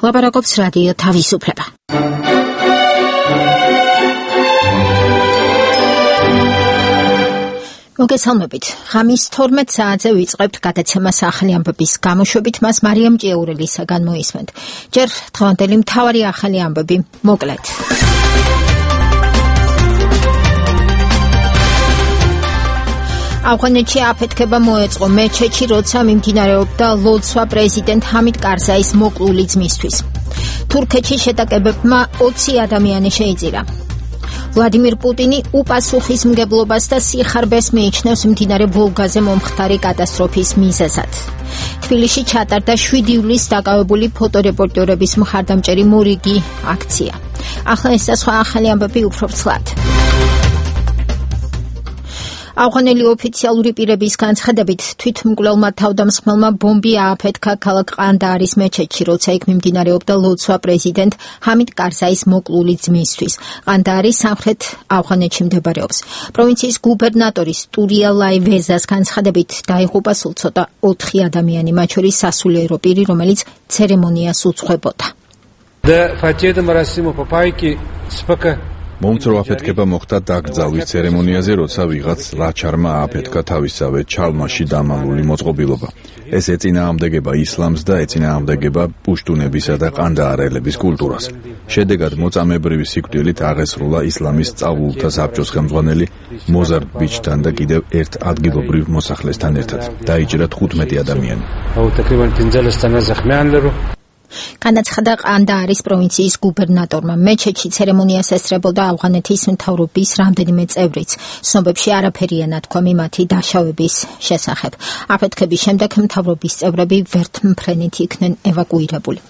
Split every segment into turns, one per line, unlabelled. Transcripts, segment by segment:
ლაპარაკობს რადიო თავისუფლება. მოგესალმებით. ღამის 12 საათზე ვიწყებთ გადაცემას ახალი ამბების გამოშვებით, მას მარიამ ჭიაურელისაგან მოისმენთ. ჯერ დღევანდელი მთავარი ახალი ამბები მოკლედ. ავღანეთში აფეთქება მოეწყო მეჩეთში, როცა მიმდინარეობდა ლოცვა პრეზიდენტ ჰამიდ კარზაის მოკლული ძმისთვის. თურქეთში შეტაკებებმა 20 ადამიანი შეიძირა. ვლადიმირ პუტინი უპასუხისმგებლობას და სიხარბეს მიიჩნევს მდინარე ვოლგაზე მომხდარი კატასტროფის მიზეზად. თბილისში ჩატარდა 7 ივლისს დაკავებული ფოტორეპორტერების მხარდამჭერი მორიგი აქცია. ახლა ეს და სხვა ახალი ამბები უფრო ვრცლად. ავღანელი ოფიციალური პირების განცხადებით თვითმკვლელმა თავდამსხმელმა ბომბი ააფეთქა ქალაქ ყანდაარის მეჩეთში, როცა იქ მიმდინარეობდა ლოცვა პრეზიდენტ ჰამიდ კარზაის მოკლული ძმისთვის. ყანდაარი სამხრეთ ავღანეთში მდებარეობს. პროვინციის გუბერნატორის ტურია ლაივეზას განცხადებით დაიღუპა სულ ცოტა 4 ადამიანი, მათ შორის სასულიერო პირი, რომელიც ცერემონიას უძღვებოდა.
მომცრო აფეთქება მოხდა დაკრძალვის ცერემონიაზე, როცა ვიღაც ლაჩარმა ააფეთქა თავისავე ჩალმაში დამალული მოწყობილობა. ეს ეწინააღმდეგება ისლამს და ეწინააღმდეგება პუშტუნებისა და ყანდაარელების კულტურას. შედეგად მოწამებრივი სიკვდილით აღესრულა ისლამის სწავლულთა საბჭოს ხელმძღვანელი მოზარ ბიჩთან და კიდევ ერთ ადგილობრივ მოსახლესთან ერთად. დაიჭრა 15 ადამიანი. განაცხადა ყანდაარის პროვინციის გუბერნატორმა. მეჩეთში ცერემონიას ესწრებოდა ავღანეთის მთავრობის რამდენიმე წევრიც. ცნობებში არაფერია ნათქვამი მათი დაშავების შესახებ. აფეთქების შემდეგ მთავრობის წევრები ვერთმფრენით იქნენ ევაკუირებული.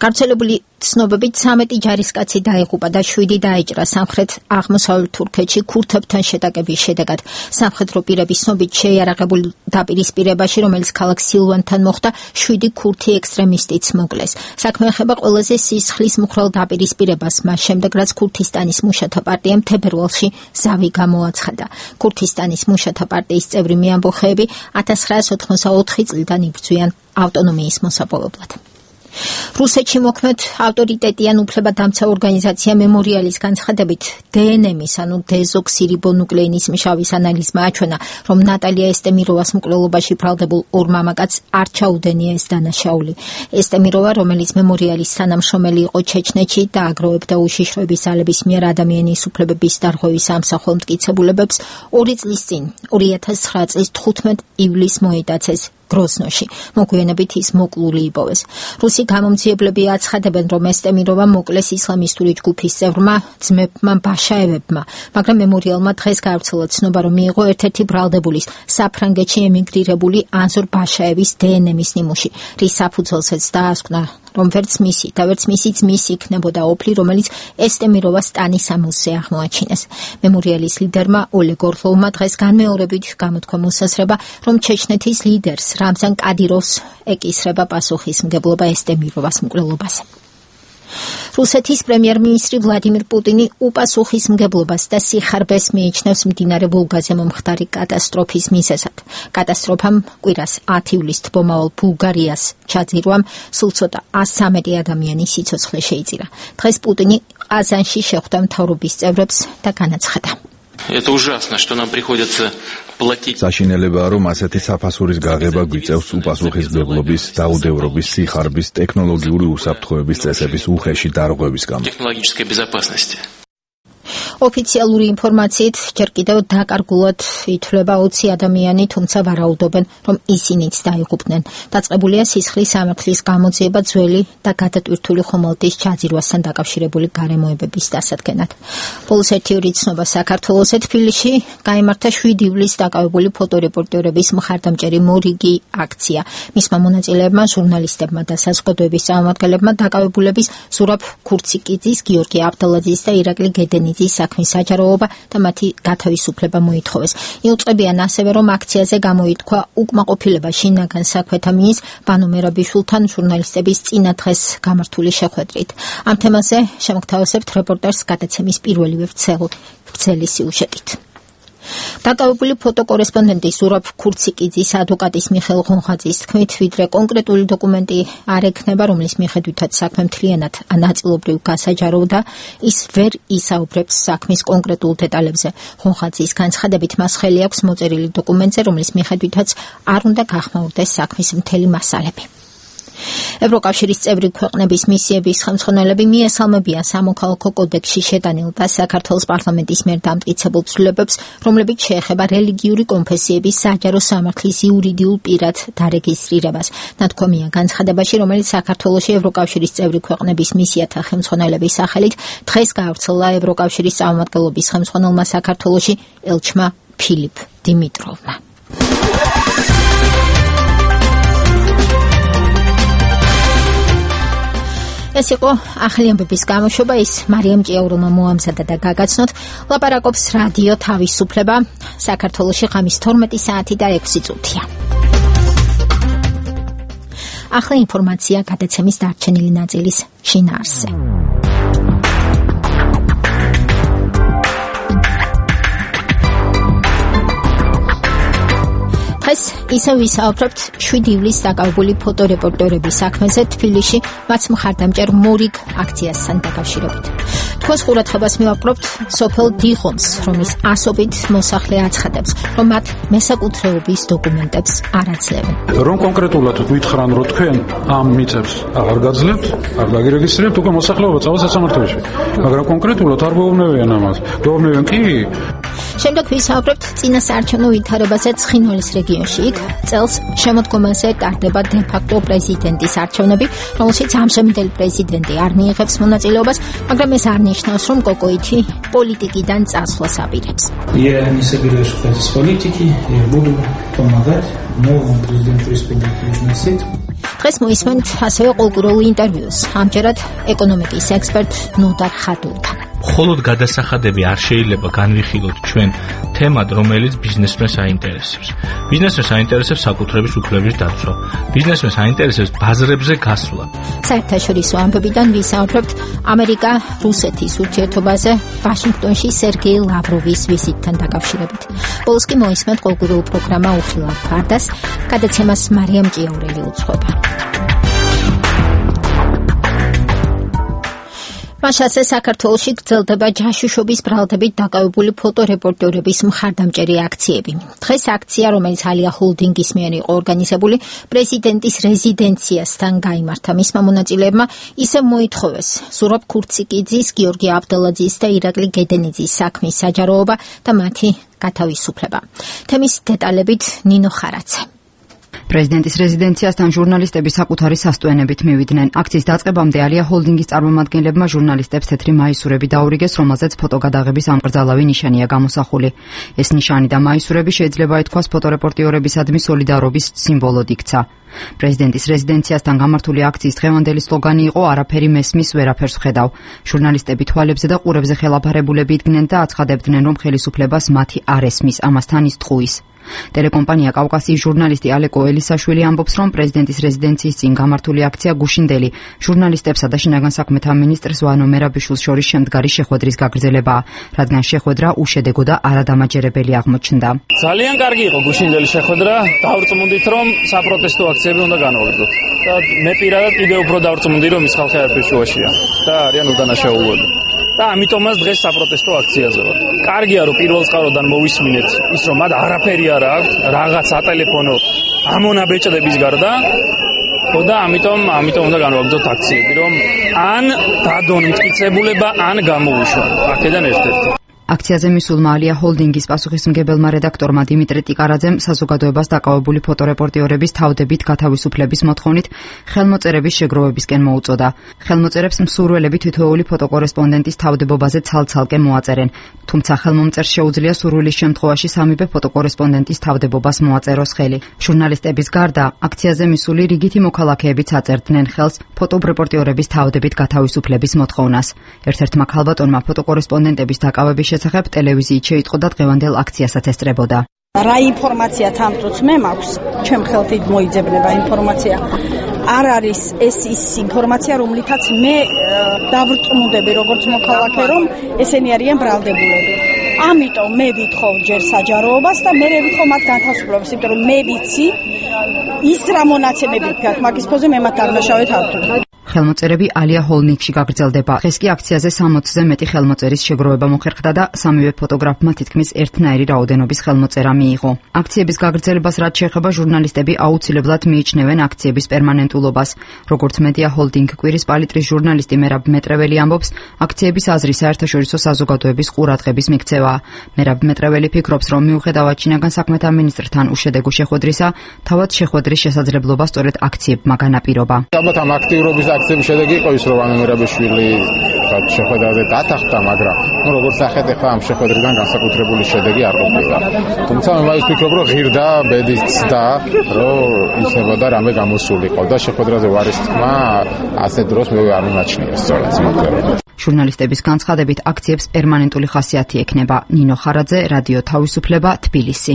გავრცელებული ცნობებით 13 ჯარისკაცი დაიღუპა და 7 დაიჭრა სამხრეთ აღმოსავლეთ თურქეთში ქურთებთან შეტაკების შედეგად. სამხედრო პირების ცნობით შეიარაღებულ დაპირისპირებაში, რომელიც ქალაქ სილვანთან მოხდა, 7 ქურთი ექსტრემისტიც მოკლეს. საქმე ეხება ყველაზე სისხლის მუხრალ დაპირისპირებას, მას შემდეგ რაც ქურთისტანის მუშათა პარტიამ თებერვალში ზავი გამოაცხადა. ქურთისტანის მუშათა პარტიის წევრი მეამბოხეები 1984 წლიდან იბრძვიან ავტონომიის მოსაპოვებლად. რუსეთში მოქმედ ავტორიტეტიან უფლებადამცა ორგანიზაცია მემორიალის განცხადებით დნმ-ის, ანუ დეზოქსირიბონუკლეინის მჟავის ანალიზმა აჩვენა, რომ ნატალია ესტემიროვას მკვლელობაში ბრალდებულ ორ მამაკაცს არ ჩაუდენია ეს დანაშაული. ესტემიროვა, რომელიც მემორიალის თანამშრომელი იყო ჩეჩნეთში და აგროვებდა უშიშროების ძალების მიერ ადამიანის უფლებების დარღვევის ამსახველ მტკიცებულებებს, 2 წლის წინ 2009 წლის 15 ივლისს მოიტაცეს გროზნოში. მოგვიანებით ის მოკლული იპოვეს. რუსი გამომძიებლები აცხადებენ, რომ ესტემიროვა მოკლეს ისლამისტური ჯგუფის წევრმა ძმებმა ბაშაევებმა, მაგრამ მემორიალმა დღეს გაავრცელა ცნობა, რომ მიიღო ერთ-ერთი ბრალდებულის, საფრანგეთში ემიგრირებული ანზორ ბაშაევის დნმ-ის ნიმუში, რის საფუძველზეც დაასკვნა, რომ ვერც მისი და ვერც მისი ძმის იქნებოდა ოფლი, რომელიც ესტემიროვას ტანის ამოსზე აღმოაჩინეს. მემორიალის ლიდერმა ოლეგ ორლოვმა დღეს განმეორებით გამოთქვა მოსაზრება, რომ ჩეჩნეთის ლიდერს რამზან კადიროვს ეკისრება პასუხისმგებლობა ესტემიროვას მკვლელობაზე. რუსეთის პრემიერ-მინისტრი ვლადიმირ პუტინი უპასუხისმგებლობას და სიხარბეს მიიჩნევს მდინარე ვოლგაზე მომხდარი კატასტროფის მიზეზად. კატასტროფამ კვირას 10 ივლისს თბომავალ ბულგარიას ჩაძირვამ სულ ცოტა 113 ადამიანის სიცოცხლე შეიძირა. დღეს პუტინი ყაზანში შეხვდა მთავრობის წევრებს და განაცხადა.
Это ужасно, что нам приходится платить.
საშინელებაა, რომ ასეთი საფასურის გაღება გვიწევს უპასუხისმგებლობის, დაუდევრობის, სიხარბის, ტექნოლოგიური უსაფრთხოების წესების უხეში დარღვევის გამო.
Технологической безопасности.
ოფიციალური ინფორმაციით ჯერ კიდევ დაკარგულად ითვლება 20 ადამიანი, თუმცა ვარაუდობენ, რომ ისინიც დაიღუპნენ. დაწყებულია სისხლის სამართლის გამოძიება ძველი და გადატვირთული ხომალდის ჩაძირვასთან დაკავშირებული გარემოებების დასადგენად. ბოლოს 1 ორი ცნობა საქართველოსზე თბილისში გაიმართა 7 ივლისს დაკავებული ფოტორეპორტერების მხარდამჭერი მორიგი აქცია. მისმა მონაწილეებმა, ჟურნალისტებმა და საზოგადოების წარმომადგენლებმა დაკავებულების ზურაბ ქურციკიძის, გიორგი აბდალაძის და ირაკლი გედენიძის საქმის საჯაროობა და მათი გათავისუფლება მოითხოვეს. იუწყებიან ასევე, რომ აქციაზე გამოითქვა უკმაყოფილება შინაგან საქმეთა მინისტრ ბანო მერაბიშვილთან ჟურნალისტების წინა დღეს გამართული შეხვედრით. ამ თემაზე შემოგთავაზებთ რეპორტაჟს გადაცემის პირველივე ვრცელი სიუჟეტით. დაკავებული ფოტოკორესპონდენტი ზურაბ ქურციკიძის ადვოკატის მიხეილ ღონღაძის თქმით, ვიდრე კონკრეტული დოკუმენტი არ ექნება, რომლის მიხედვითაც საქმე მთლიანად ნაწილობრივ გასაჯაროვდა, ის ვერ ისაუბრებს საქმის კონკრეტულ დეტალებზე. ღონღაძის განცხადებით, მას ხელი აქვს მოწერილი დოკუმენტზე, რომლის მიხედვითაც არ უნდა გახმაურდეს საქმის მთელი მასალები. ევროკავშირის წევრი ქვეყნების მისიების ხელმძღვანელები მიესალმებიან სამოქალაქო კოდექსში შეტანილ და საქართველოს პარლამენტის მიერ დამტკიცებულ ცვლილებებს, რომლებიც შეეხება რელიგიური კონფესიების საჯარო სამართლის იურიდიულ პირად დარეგისტრირებას. ნათქვამია განცხადებაში, რომელიც საქართველოში ევროკავშირის წევრი ქვეყნების მისიათა ხელმძღვანელების სახელით დღეს გაავრცელა ევროკავშირის წარმომადგენლობის ხელმძღვანელმა საქართველოში ელჩმა ფილიპ დიმიტროვმა. ეს იყო ახალი ამბების გამოშვება, ის მარიამ ჭიაურელმა მოამზადა და გაგაცნოთ. ლაპარაკობს რადიო თავისუფლება, საქართველოში ღამის 12 საათი და 6 წუთია. ახლა ინფორმაცია გადაცემის დარჩენილი ნაწილის შინაარსზე. დღეს ისევ ვისაუბრებთ 7 ივლისს დაკავებული ფოტორეპორტერების საქმეზე თბილისში მათ მხარდამჭერ მორიგ აქციასთან დაკავშირებით. თქვენს ყურადღებას მივაყრობთ სოფელ დიღომს, რომლის ასობით მოსახლე აცხადებს, რომ მათ მესაკუთრეობის დოკუმენტებს არ აძლევენ.
რომ კონკრეტულად გითხრან, რომ თქვენ ამ მიწებს აღარ გაძლევთ, არ დაგირეგისტრირებთ, უკვე მოსახლეობა წავა სასამართლოში. მაგრამ კონკრეტულად არ გვეუბნებიან ამას. გვეუბნებიან კი.
შემდეგ ვისაუბრებთ წინასაარჩევნო ვითარებაზე ცხინვალის რეგიონში. იქ წელს შემოდგომაზე ტარდება დე-ფაქტო პრეზიდენტის არჩევნები, რომელშიც ამჟამინდელი პრეზიდენტი არ მიიღებს მონაწილეობას, მაგრამ ეს არ ნიშნავს, რომ კოკოითი პოლიტიკიდან წასვლას აპირებს.
Я не собираюсь уходить из политики, я буду помогать новому президенту республики Южная Осетия.
დღეს მოისმენთ ასევე კულტურულ ინტერვიუს, ამჯერად ეკონომიკის ექსპერტ ნოდარ ხადულთან.
მხოლოდ გადასახადები არ შეიძლება განვიხილოთ ჩვენ თემად, რომელიც ბიზნესმენს აინტერესებს. ბიზნესმენს აინტერესებს საკუთრების უფლების დაცვა. ბიზნესმენს აინტერესებს ბაზრებზე გასვლა.
საერთაშორისო ამბებიდან ვისაუბრებთ ამერიკა რუსეთის ურთიერთობაზე ვაშინგტონში სერგეი ლავროვის ვიზიტთან დაკავშირებით. ბოლოს კი მოისმენთ კულტურულ პროგრამა უხილავ ფარდას, გადაცემას მარიამ ჭიაურელი უძღვება. მაშასე საქართველოში გრძელდება ჯაშუშობის ბრალდებით დაკავებული ფოტორეპორტერების მხარდამჭერი აქციები. დღეს აქცია, რომელიც ალია ჰოლდინგის მიერ იყო ორგანიზებული, პრეზიდენტის რეზიდენციასთან გაიმართა. მისმა მონაწილეებმა ისევ მოითხოვეს ზურაბ ქურციკიძის, გიორგი აბდელაძის და ირაკლი გედენიძის საქმის საჯაროობა და მათი გათავისუფლება. თემის დეტალებით ნინო ხარაძე.
პრეზიდენტის რეზიდენციასთან ჟურნალისტები საკუთარი სასტუენებით მივიდნენ. აქციის დაწყებამდე ალია ჰოლდინგის წარმომადგენლებმა ჟურნალისტებს თეთრი მაისურები დაურიგეს, რომელზეც ფოტოგადაღების ამკრძალავი ნიშანია გამოსახული. ეს ნიშანი და მაისურები შეიძლება ითქვას ფოტორეპორტიორებისადმი სოლიდარობის სიმბოლოდ იქცა. პრეზიდენტის რეზიდენციასთან გამართული აქციის დღევანდელი სლოგანი იყო არაფერი მესმის, ვერაფერს ვხედავ. ჟურნალისტები თვალებზე და ყურებზე ხელაფარებულები იდგნენ და აცხადებდნენ, რომ ხელისუფლებას მათი არ ესმის, ამასთან ის ტყუის. ტელეკომპანია კავკასიის ჟურნალისტი ალეკო ელისაშვილი ამბობს, რომ პრეზიდენტის რეზიდენციის წინ გამართული აქცია გუშინდელი ჟურნალისტებსა და შინაგან საქმეთა მინისტრს ვანო მერაბიშვილს შორის შემდგარი შეხვედრის გაგრძელებაა, რადგან შეხვედრა უშედეგო და არადამაჯერებელი აღმოჩნდა.
ძალიან კარგი იყო გუშინდელი შეხვედრა, დავრწმუნდით, რომ საპროტესტო აქციები უნდა განავაგრძოთ. და მე პირადად კიდევ უფრო დავრწმუნდი, რომ ის ხალხი არაფერ შუაშია და არიან უდანაშაულოები. და ამიტომაც დღეს საპროტესტო აქციაზე ვარ. კარგია, რომ პირველ წყაროდან მოვისმინეთ ის, რომ მათ არაფერი არ აქვს, რაღაც ატელეფონო ამონაბეჭდების გარდა. და ამიტომ უნდა განვაგრძოთ აქციები, რომ ან დადონ მტკიცებულება, ან გამოუშვან. აქედან ერთ-ერთი.
აქციაზე მისულმა ალია ჰოლდინგის პასუხისმგებელმა რედაქტორმა დიმიტრი ტიკარაძემ საზოგადოებას დაკავებული ფოტორეპორტიორების თავდებით გათავისუფლების მოთხოვნით ხელმოწერების შეგროვებისკენ მოუწოდა. ხელმოწერებს მსურველები თითოეული ფოტოკორესპონდენტის თავდებობაზე ცალ-ცალკე მოაწერენ, თუმცა ხელმომწერს შეუძლია სურვილის შემთხვევაში სამივე ფოტოკორესპონდენტის თავდებობას მოაწეროს ხელი. ჟურნალისტების გარდა აქციაზე მისული რიგითი მოქალაქეებიც აწერდნენ ხელს ფოტორეპორტიორების თავდებით გათავისუფლების მოთხოვნას. ერთ-ერთმა ქალბატონმა ფოტოკორესპონდენტების დაკავების შესახებ ტელევიზიით შეიტყო და დღევანდელ აქციასაც ესწრებოდა.
რა ინფორმაცია თამწუც მე მაქვს, ჩემ ხელთ მოიძებნება ინფორმაცია. არ არის ეს ის ინფორმაცია, რომლითაც მე დავრწმუნდები როგორც მოქალაქე, რომ ესენი არიან ბრალდებულები. ამიტომ მე ვითხოვ ჯერ საჯაროობას და მე ვითხოვ მათ განთავისუფლებას, იმიტომ რომ მე ვიცი ის რა მონაცემებით გაქვს მაგის ფონზე მე მათ დარნაშავეთ არ ვთვლი.
ხელმოწერები ალია ჰოლდინგში გაგრძელდება. დღეს კი აქციაზე 60-ზე მეტი ხელმოწერის შეგროვება მოხერხდა და სამივე ფოტოგრაფმა თითქმის ერთნაირი რაოდენობის ხელმოწერა მიიღო. აქციების გაგრძელებას რაც შეეხება ჟურნალისტები აუცილებლად მიიჩნევენ აქციების პერმანენტულობას. როგორც მედია ჰოლდინგ კვირის პალიტრის ჟურნალისტი მერაბ მეტრეველი ამბობს, აქციების აზრი საერთაშორისო საზოგადოების ყურადღების მიქცევაა. მერაბ მეტრეველი ფიქრობს, რომ მიუხედავად ჩინაგან საქმეთა მინისტრთან უშედეგო შეხვედრისა, თავად შეხვედრის შესაძლებლობა სწორედ აქციებმა განაპირობა.
აქციების შედეგი იყო ის, რომ ამერაბიშვილი შეხვედრაზე დათანხმდა, მაგრამ როგორც ახეთ ახლა ამ შეხვედრიდან განსაკუთრებული შედეგი არ ყოფილა. თუმცა მე მაინც ვფიქრობ, რომ ღირდა ბედის ცდა, რომ ისებოდა რამე გამოსულიყო და შეხვედრაზე ვარის თქმა ასეთ დროს მე არ მიმაჩნია სწორად მოკლედ.
ჟურნალისტების განცხადებით აქციებს პერმანენტული ხასიათი ექნება. ნინო ხარაძე, რადიო თავისუფლება, თბილისი.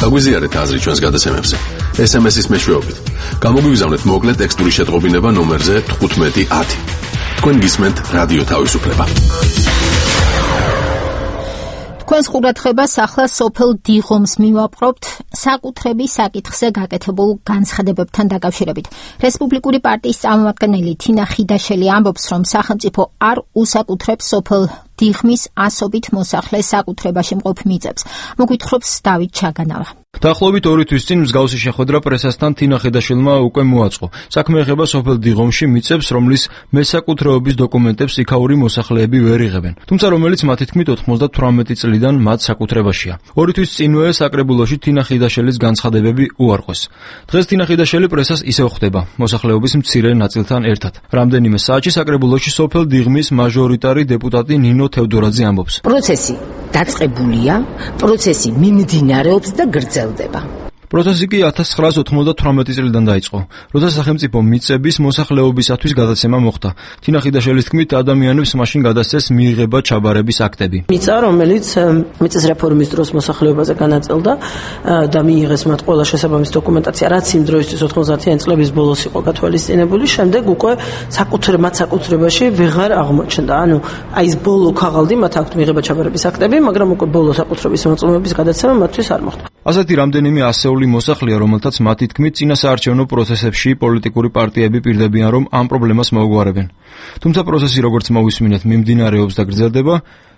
გაგვიზიარეთ აზრი ჩვენს გადაცემებზე. SMS-ის მეშვეობით. გამოგვიგზავნეთ მოკლე ტექსტური შეტყობინება ნომერზე 1510. თქვენ გისმენთ რადიო თავისუფლება.
თქვენს ყურადღებას ახლა სოფელ დიღომს მივაპყრობთ საკუთრების საკითხზე გაკეთებულ განცხადებებთან დაკავშირებით. რესპუბლიკური პარტიის წარმომადგენელი თინა ხიდაშელი ამბობს, რომ სახელმწიფო არ უსაკუთრებს სოფელ დიღმის ასობით მოსახლე საკუთრებაში მყოფ მიწებს. მოგვითხრობს დავით ჩაგანავა.
დაახლოებით 2 თვის წინ მსგავსი შეხვედრა პრესასთან თინა ხიდაშელმა უკვე მოაწყო. საქმე ეხება სოფელ დიღომში მიწებს, რომლის მესაკუთრეობის დოკუმენტებს იქაური მოსახლეები ვერ იღებენ. თუმცა რომელიც მათი თქმით 98 წლიდან მათ საკუთრებაშია. 2 თვის წინვე საკრებულოში თინა ხიდაშელის განცხადებები უარყვეს. დღეს თინა ხიდაშელი პრესას ისევ ხვდება, მოსახლეობის მცირე ნაწილთან ერთად. რამდენიმე საათში საკრებულოში სოფელ დიღმის მაჟორიტარი დეპუტატი ნინო თევდორაძე ამბობს.
პროცესი დაწყებულია, პროცესი მიმდინარეობს და გრძელდება.
პროცესი კი 1998 წლიდან დაიწყო, როცა სახელმწიფო მიწების მოსახლეობისათვის გადაცემა მოხდა. თინა ხიდაშელის თქმით, ადამიანებს მაშინ გადასცეს მიიღება ჩაბარების აქტები.
მიწა, რომელიც მიწის რეფორმის დროს მოსახლეობაზე განაწილდა და მიიღეს მათ ყველა შესაბამისი დოკუმენტაცია, რაც იმ დროისთვის 90-იანი წლების ბოლოს იყო გათვალისწინებული, შემდეგ უკვე საკუთრებაში ვეღარ აღმოჩნდა. ანუ აი ეს ბოლო ქაღალდი მათ აქვთ მიიღება ჩაბარების აქტები, მაგრამ უკვე ბოლო საკუთრების მოწმობის გადაცემა მათთვის არ მოხდა.
ასეთი რამდენიმე ასეული მოსახლეა, რომელთაც მათი თქმით წინასაარჩევნო პროცესებში პოლიტიკური პარტიები პირდებიან, რომ ამ პრობლემას მოუგვარებენ. თუმცა პროცესი, როგორც მოვისმინეთ, მიმდინარეობს და გრძელდება.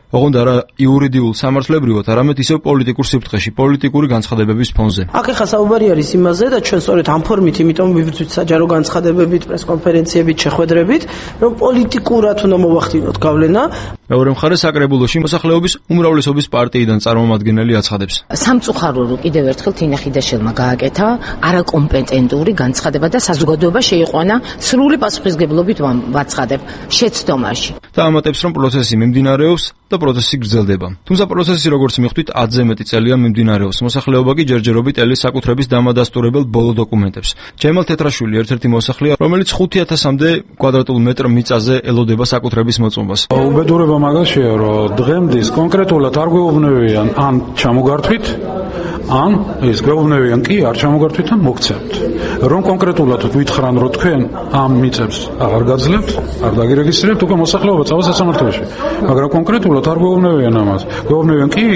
ოღონდ არა იურიდიულ სამართლებრივად, არამედ ისევ პოლიტიკურ სიფრთხეში, პოლიტიკური განცხადებების ფონზე.
აქ ახლა საუბარი არის იმაზე და ჩვენ სწორედ ამ ფორმით, იმიტომ ვიბრძვით საჯარო განცხადებებით, პრესკონფერენციებით, შეხვედრებით, რომ პოლიტიკურად უნდა მოვახდინოთ გავლენა.
მეორე მხარეს საკრებულოში მოსახლეობის უმრავლესობის პარტიიდან წარმომადგენელი აცხადებს.
სამწუხარო კიდევ ერთხელ თინა ხიდაშელმა გააკეთა არაკომპეტენტური განცხადება და საზოგადოება შეიყვანა სრული პასუხისგებლობით ვაცხადებ შეცდომაში.
და ამატებს, რომ პროცესი მიმდინარეობს და პროცესი გრძელდება. თუმცა პროცესი, როგორც მიხვდით, 10-ზე მეტი წელია მიმდინარეობს. მოსახლეობა კი ჯერჯერობით ელის საკუთრების დამადასტურებელ ბოლო დოკუმენტებს. ჯემალ თეთრაშვილი ერთ-ერთი მოსახლეა, რომელიც 5000-მდე კვადრატულ მეტრ მიწაზე ელოდება საკუთრების მოწმობას.
უბედურება მაგაშია, რომ დღემდის კონკრეტულად არ გვეუბნებიან ან ჩამოგართვით, ან ეს გვეუბნებიან კი არ ჩამოგართვით ან მოგცემთ. რომ კონკრეტულად გითხრან, რომ თქვენ ამ მიწებს აღარ გაძლევთ, არ დაგირეგისტრირებთ, უკვე მოსახლეობა წავა სასამართლოში. მაგრამ კონკრეტულად არ გვეუბნებიან ამას. გვეუბნებიან კი.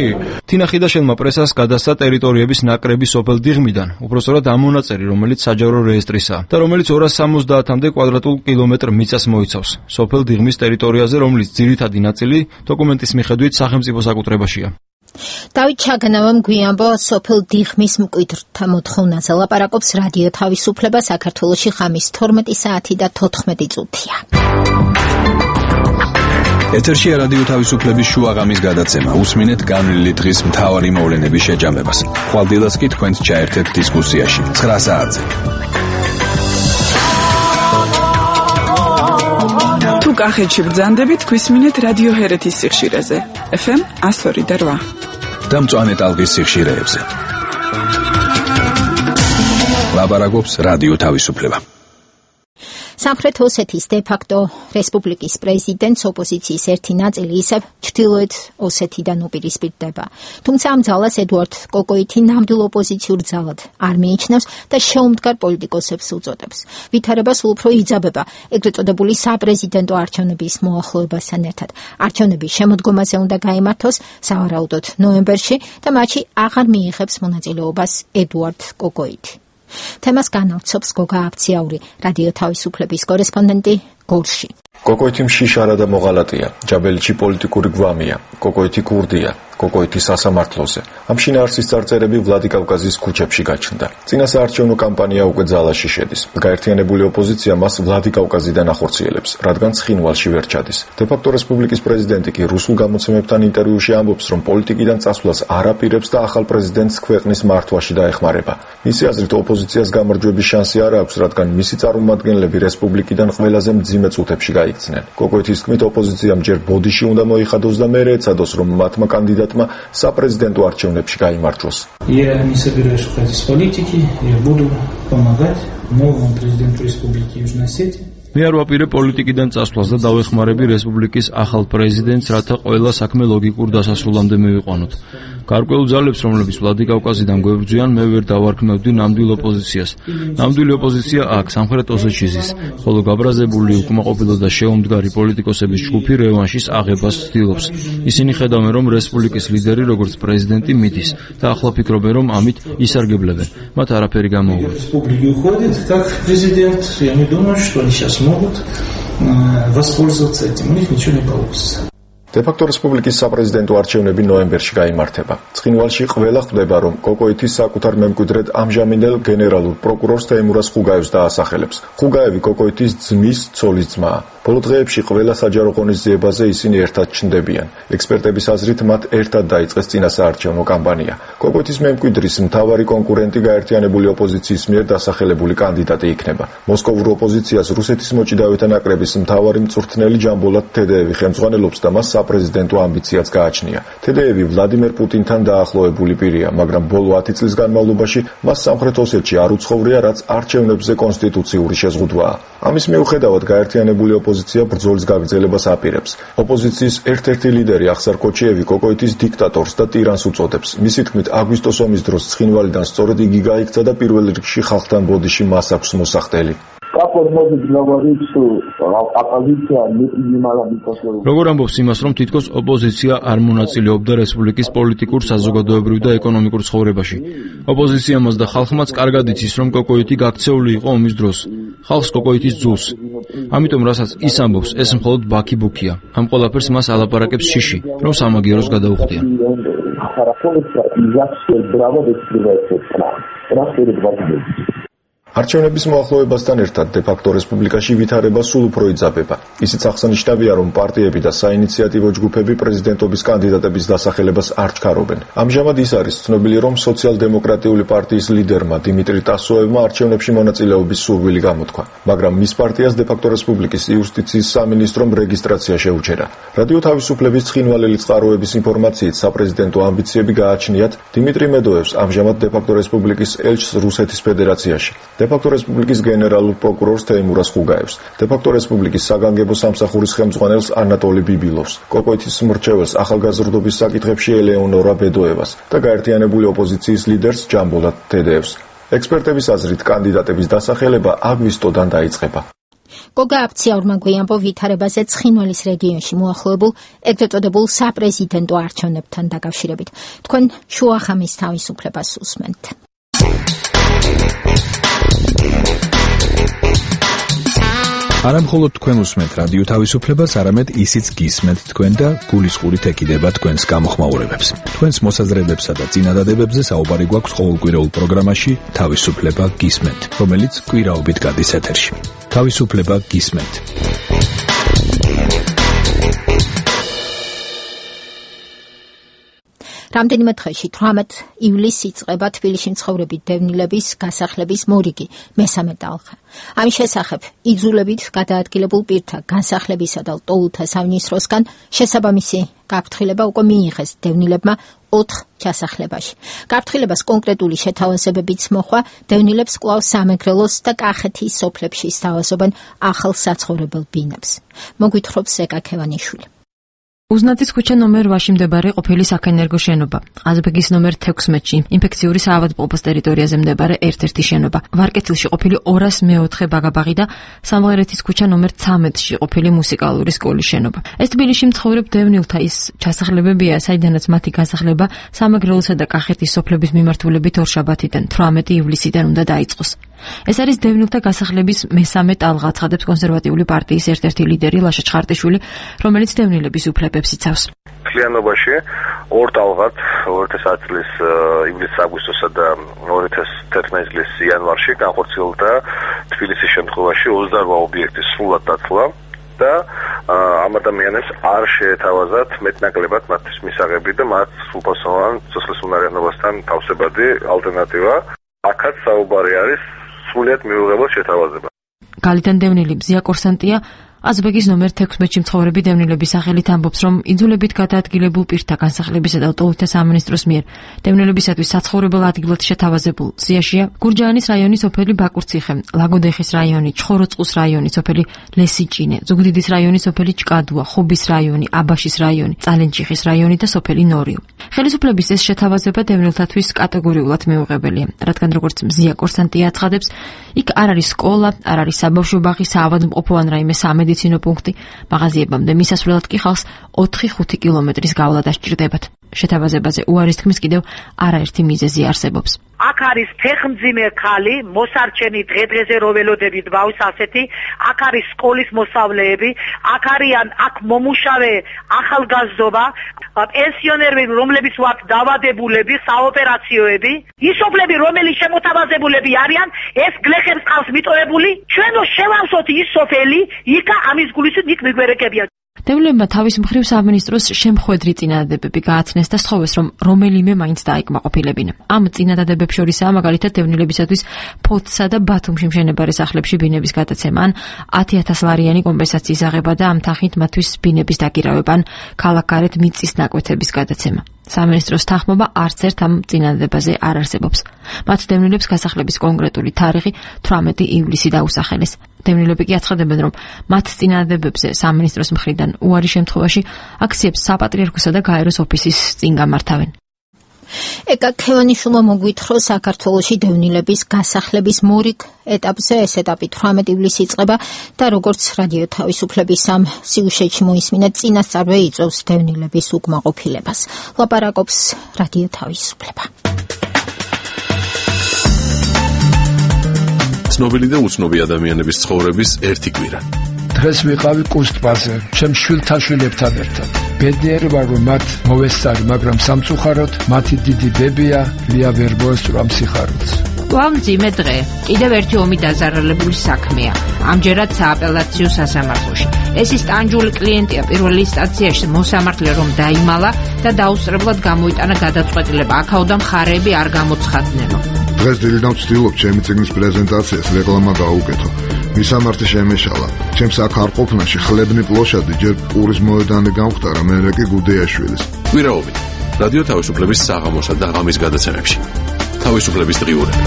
თინა ხიდაშელმა პრესას გადასცა ტერიტორიების ნაკრები სოფელ დიღმიდან, უпростоრად ამ მონაწერი, რომელიც საჯარო რეესტრისაა და რომელიც 270-მდე კვადრატულ კილომეტრ მიწას მოიცავს. სოფელ დიღმის ტერიტორიაზე, რომლის ძირითადი ნაწილი დოკუმენტის მიხედვით სახელმწიფო საკუთრებაშია.
დავით ჩაგანავამ გვიამბო სოფელ დიღმის მკვიდრთა მოთხოვნაზე. ლაპარაკობს რადიო თავისუფლება საქართველოში ხამის 12 საათი და 14 წუთია.
ეთერშია რადიო თავისუფლების შუაღამის გადაცემა. უსმინეთ განვლილი დღის მთავარი მოვლენების შეჯამებას. ხვალდილას კი თქვენს ჩაერთეთ დისკუსიაში 9 საათზე.
თუ კახეთში ბრძანდებით, გვისმინეთ რადიო ჰერეთის სიხშირეზე. FM 102.8
და მწვანე ტალღის სიხშირეებზე. ლაპარაკობს რადიო თავისუფლება.
სამხრეთ ოსეთის დე-ფაქტო რესპუბლიკის პრეზიდენტს ოპოზიციის ერთი ნაწილი ისევ ჩრდილოეთ ოსეთიდან უპირისპირდება. თუმცა ამ ძალას ედუარდ კოკოიტი ნამდვილ ოპოზიციურ ძალად არ მიიჩნევს და შეუმდგარ პოლიტიკოსებს უწოდებს. ვითარება სულ უფრო იძაბება ეგრეთ წოდებული საპრეზიდენტო არჩევნების მოახლოებასთან ერთად. არჩევნების შემოდგომაზე უნდა გაიმართოს სავარაუდოდ ნოემბერში და მათში აღარ მიიღებს მონაწილეობას ედუარდ კოკოიტი. თემას განავრცობს გოგა აბციაური, რადიო თავისუფლების კორესპონდენტი გორში.
კოკოიტი მშიშარა და მოღალატეა, ჯაბელიჩი პოლიტიკური გვამია, კოკოიტი კურდია, კოკოიტი სასამართლოზე. ამ შინაარსის წარწერები ვლადიკავკაზის ქუჩებში გაჩნდა. წინა საარჩევნო კამპანია უკვე ძალაში შედის. გაერთიანებული ოპოზიცია მას ვლადიკავკაზიდან ახორციელებს, რადგან ცხინვალში ვერ ჩადის. დე-ფაქტო რესპუბლიკის პრეზიდენტი კი რუსულ გამოცემებთან ინტერვიუში ამბობს, რომ პოლიტიკიდან წასვლას არ აპირებს და ახალ პრეზიდენტს ქვეყნის მართვაში დაეხმარება. მისი აზრით, ოპოზიციას გამარჯვების შანსი არ აქვს, რადგან მისი წარმომადგენლები რესპუბლიკიდან ყველაზე მძიმე წუთებში გაიქცნენ. კოკოიტის თქმით, ოპოზიციამ ჯერ ბოდიში უნდა მოიხადოს და მერე ეცადოს, რომ მათმა კანდიდატმა საპრეზიდენტო არჩევნებში გაიმარჯვოს.
Я не собираюсь уходить из политики, я буду помогать новому президенту Республики Южной Осетии.
მე არ ვაპირებ პოლიტიკიდან წასვლას და დავეხმარები რესპუბლიკის ახალ პრეზიდენტს, რათა ყველა საქმე ლოგიკურ დასასრულამდე მივიყვანოთ. გარკვეულ ძალებს, რომლებიც ვლადიკავკაზიდან გვებრძვიან, მე ვერ დავარქმევდი ნამდვილ ოპოზიციას. ნამდვილი ოპოზიცია აქ, სამხრეთ ოსეთში ზის, ხოლო გაბრაზებული, უკმაყოფილო და შეუმდგარი პოლიტიკოსების ჯგუფი რევანშის აღებას ცდილობს. ისინი ხედავენ, რომ რესპუბლიკის ლიდერი, როგორც პრეზიდენტი, მიდის და ახლა ფიქრობენ, რომ ამით ისარგებლებენ. მათ არაფერი გამოუვათ.
Могут воспользоваться этим, у них ничего не получится.
დე-ფაქტო რესპუბლიკის საპრეზიდენტო არჩევნები ნოემბერში გაიმართება. ცხინვალში ყველა ხვდება, რომ კოკოიტი საკუთარ მემკვიდრედ ამჟამინდელ გენერალურ პროკურორს თეიმურაზ ხუგაევს დაასახელებს. ხუგაევი კოკოიტის ძმის ცოლის ძმაა. ბოლო დღეებში ყველა საჯარო ღონისძიებაზე ისინი ერთად ჩნდებიან. ექსპერტების აზრით, მათ ერთად დაიწყეს წინასაარჩევნო კამპანია. კოკოიტის მემკვიდრის მთავარი კონკურენტი გაერთიანებული ოპოზიციის მიერ დასახელებული კანდიდატი იქნება. მოსკოვურ ოპოზიციას რუსეთის მოჭიდავეთა ნაკრების მთავარი მწვრთნელი ჯამბოლად თედეევი ხელმძღვანელობს და მას საპრეზიდენტო ამბიციაც გააჩნია. თედეევი ვლადიმერ პუტინთან დაახლოებული პირია, მაგრამ ბოლო 10 წლის განმავლობაში მას სამხრეთ ოსეთში არ უცხოვრია, რაც არჩევნებზე კონსტიტუციური შეზღუდვაა. ამის მიუხედავად გაერთიანებული ოპოზიცია ბრძოლის გაგრძელებას აპირებს. ოპოზიციის ერთ-ერთი ლიდერი ახსარ კოჩიევი კოკოიტის დიქტატორს და ტირანს უწოდებს. მისი თქმით, აგვისტოს ომის დროს ცხინვალიდან სწორედ იგი გაიქცა და პირველ რიგში ხალხთან ბოდიში მას აქვს მოსახდელი.
როგორ ამბობს იმას, რომ თითქოს ოპოზიცია არ მონაწილეობდა რესპუბლიკის პოლიტიკურ, საზოგადოებრივ და ეკონომიკურ ცხოვრებაში. ოპოზიცია მას და ხალხმაც კარგად იცის, რომ კოკოიტი გაქცეული იყო ომის დროს. ხალხს კოკოიტის ძულს. ამიტომ რასაც ის ამბობს, ეს მხოლოდ ბაქი-ბუქია. ამ ყველაფერს მას ალაპარაკებს შიში, რომ სამაგიეროს გადაუხდიან.
არჩევნების მოახლოებასთან ერთად დე-ფაქტო რესპუბლიკაში ვითარება სულ უფრო იძაბება. ისიც აღსანიშნავია, რომ პარტიები და საინიციატივო ჯგუფები პრეზიდენტობის კანდიდატების დასახელებას არ ჩქარობენ. ამჟამად ის არის ცნობილი, რომ სოციალ-დემოკრატიული პარტიის ლიდერმა დიმიტრი ტასოევმა არჩევნებში მონაწილეობის სურვილი გამოთქვა, მაგრამ მის პარტიას დე-ფაქტო რესპუბლიკის იუსტიციის სამინისტრომ რეგისტრაცია შეუჩერა. რადიო თავისუფლების ცხინვალელი წყაროების ინფორმაციით, საპრეზიდენტო ამბიციები გააჩნიათ დიმიტრი მედოევს, ამჟამად დე-ფაქტო რესპუბლიკის ელჩს რუსეთის ფედერაციაში. დე-ფაქტო რესპუბლიკის გენერალურ პროკურორს თეიმურაზ ხუგაევს, დე-ფაქტო რესპუბლიკის საგანგებო სამსახურის ხელმძღვანელს ანატოლი ბიბილოვს, კოკოიტის მრჩეველს ახალგაზრდობის საკითხებში ელეონორა ბედოევას და გაერთიანებული ოპოზიციის ლიდერს ჯამბოლად თედეევს. ექსპერტების აზრით, კანდიდატების დასახელება აგვისტოდან დაიწყება.
გოგა აბციაურმა გვიამბო ვითარებაზე ცხინვალის რეგიონში მოახლოებულ ეგრეთ წოდებულ საპრეზიდენტო არჩევნებთან დაკავშირებით. თქვენ შუახამის თავისუფლებას უსმენთ.
არა მხოლოდ თქვენ უსმენთ რადიო თავისუფლებას, არამედ ისიც გისმენთ თქვენ და გულისყურით ეკიდება თქვენს გამოხმაურებებს. თქვენს მოსაზრებებსა და წინადადებებზე საუბარი გვაქვს ყოველკვირეულ პროგრამაში თავისუფლება გისმენთ, რომელიც კვირაობით გადის ეთერში. თავისუფლება გისმენთ.
რამდენიმე დღეში 18 ივლისს იწყება თბილისში მცხოვრები დევნილების გასახლების მორიგი მესამე ტალღა. ამის შესახებ იძულებით გადაადგილებულ პირთა განსახლებისა და ლტოლთა სამინისტროსგან შესაბამისი გაფრთხილება უკვე მიიღეს დევნილებმა 4 ჩასახლებაში. გაფრთხილებას კონკრეტული შეთავაზებებიც მოხვა, დევნილებს კვლავ სამეგრელოს და კახეთის სოფლებში სთავაზობენ ახალ საცხოვრებელ ბინებს. მოგვითხრობს ზეკა ქევანიშვილი.
უზნაძის ქუჩა ნომერ 8-ში მდებარე ყოფილი საქენერგო შენობა, ყაზბეგის ნომერ 16-ში, ინფექციური საავადმყოფოს ტერიტორიაზე მდებარე ერთ-ერთი შენობა, ვარკეთილში ყოფილი 204 ბაგაბაღი და სამღერეთის ქუჩა ნომერ 13-ში ყოფილი მუსიკალური სკოლის შენობა. ეს თბილისში მცხოვრებ დევნილთა ის ჩასახლებებია, საიდანაც მათი გასახლება სამეგრელოსა და კახეთის სოფლების მიმართულებით ორშაბათიდან 18 ივლისიდან უნდა დაიწყოს. ეს არის დევნილთა გასახლების მესამე ტალღა, ცხადებს კონსერვატიული პარტიის ერთ-ერთი ლიდერი ლაშა ჩხარტიშვილი, რომელიც დევნილების უფლებებს იცავს.
მთლიანობაში ორ ტალღად 2010 წლის ივლիս-აგვისტოსა და 2011 წლის იანვარში განხორციელდა თბილისის შემთხვევაში 28 ობიექტის სრულად დაცვა და ამ ადამიანებს არ შეეთავაზათ მეტნაკლებად მათთვის მისაღები და მათ სრულფასოვან სოციალურ უნარიანობასთან თავსებადი ალტერნატივა. აქაც საუბარი არის სრულიად მიუღებელ შეთავაზება.
გალიდან დევნილი მზია კორსანტია აზბეგის ნომერ 16-ში მცხოვრები დევნილების სახელით ამბობს, რომ იძულებით გადაადგილებულ პირთა განსახლებისა და ლტოლვილთა სამინისტროს მიერ დევნილებისათვის საცხოვრებელ ადგილად შეთავაზებულ სიაშია გურჯაანის რაიონის სოფელი ბაკურციხე, ლაგოდეხის რაიონი, ჩხოროწყუს რაიონი, სოფელი ლესიჭინე, ზუგდიდის რაიონის სოფელი ჭკადუა, ხობის რაიონი, აბაშის რაიონი, წალენჭიხის რაიონი და სოფელი ნორიო. ხელისუფლების ეს შეთავაზება დევნილთათვის კატეგორიულად მიუღებელია, რადგან როგორც მზია კორსანტია აცხადებს, იქ არ არის სკოლა, არ არის საბავშვო ბაღი, საავადმყოფო ან რაიმე სამედიცინო პუნქტი, მაღაზიებამდე მისასვლელად კი ხალხს 4-5 კილომეტრის გავლა დასჭირდებათ. შეთავაზებაზე უარის თქმის კიდევ არაერთი მიზეზი არსებობს.
აქ არის ფეხმძიმე ხალი, მოსარჩენი დღე-დღეზე რო ველოდებით ბავშვს ასეთი, აქ არის სკოლის მოსავლეები, აქ არიან აქ მომუშავე ახალგაზრდობა, პენსიონერები, რომლებიც ვართ დავადებულები, საოპერაციოები, ისოფლები, რომელი შემოთავაზებულები არიან, ეს გლეხებს ყავს მიტოვებული, ჩვენ შევავსოთ ის სოფელი, იქა ამის გულისით იქ მიგვერეკებიან.
დევნილებმა თავის მხრივ სამინისტროს შემხვედრი წინადადებები გააცნეს და სთხოვეს, რომ რომელიმე მაინც დაიკმაყოფილებინა. ამ წინადადებებს შორისაა მაგალითად დევნილებისათვის ფოთსა და ბათუმში მშენებარე სახლებში ბინების გადაცემა, ან 10,000 ლარიანი კომპენსაციის აღება და ამ თანხით მათთვის ბინების დაკირავება, ან ქალაქგარეთ მიწის ნაკვეთების გადაცემა. სამინისტროს თანხმობა არც ერთ ამ წინადადებაზე არ არსებობს. მათ დევნილებს გასახლების კონკრეტული თარიღი 18 ივლისი დაუსახელეს. დევნილები კი აცხადებენ, რომ მათ წინადადებებზე სამინისტროს მხრიდან უარი შემთხვევაში აქციებს საპატრიარქოსა და გაეროს ოფისის წინ გამართავენ.
ეკა ქევანიშვილმა მოგვითხრა საქართველოში დევნილების გასახლების მორიგ ეტაპზე, ეს ეტაპი 18 ივლისს იწყება და როგორც რადიო თავისუფლების ამ სიუჟეტში მოისმინა, წინასწარვე იწვევს დევნილების უკმაყოფილებას. ლაპარაკობს რადიო თავისუფლება.
ცნობილი და უცნობი ადამიანების ცხოვრების ერთი კვირა.
დღეს ვიყავი კუსტბაზე, ჩემ შვილთან შვილებთან ერთად. ბედნიერი ვარ, რომ მათ მოვესწარი, მაგრამ სამწუხაროდ მათი დიდი დებია ლია ვერ მოესწრა სიხარულს.
მძიმე დღე. კიდევ ერთი ომი დაზარალებული საქმეა. ამჯერად სააპელაციო სასამართლოში. ეს ის ტანჯული კლიენტია პირველ ინსტანციაში მოსამართლე რომ დაიმალა და დაუსწრებლად გამოიტანა გადაწყვეტილება. აქაოდან მხარეები არ გამოცხადნენო.
დღეს დილიდან ვცდილობ ჩემი წიგნის პრეზენტაციას რეკლამა გაუკეთო. მისამართი შემეშალა. ჩემს აქ არ ყოფნაში ხლებნი პლოშადი ჯერ პურის მოედანი გამختარა, მერე კი გუდეაშვილის.
კვირაობით რადიო თავისუფლების საღამოსა და ღამის გადაცემებში. თავისუფლების დღიურები.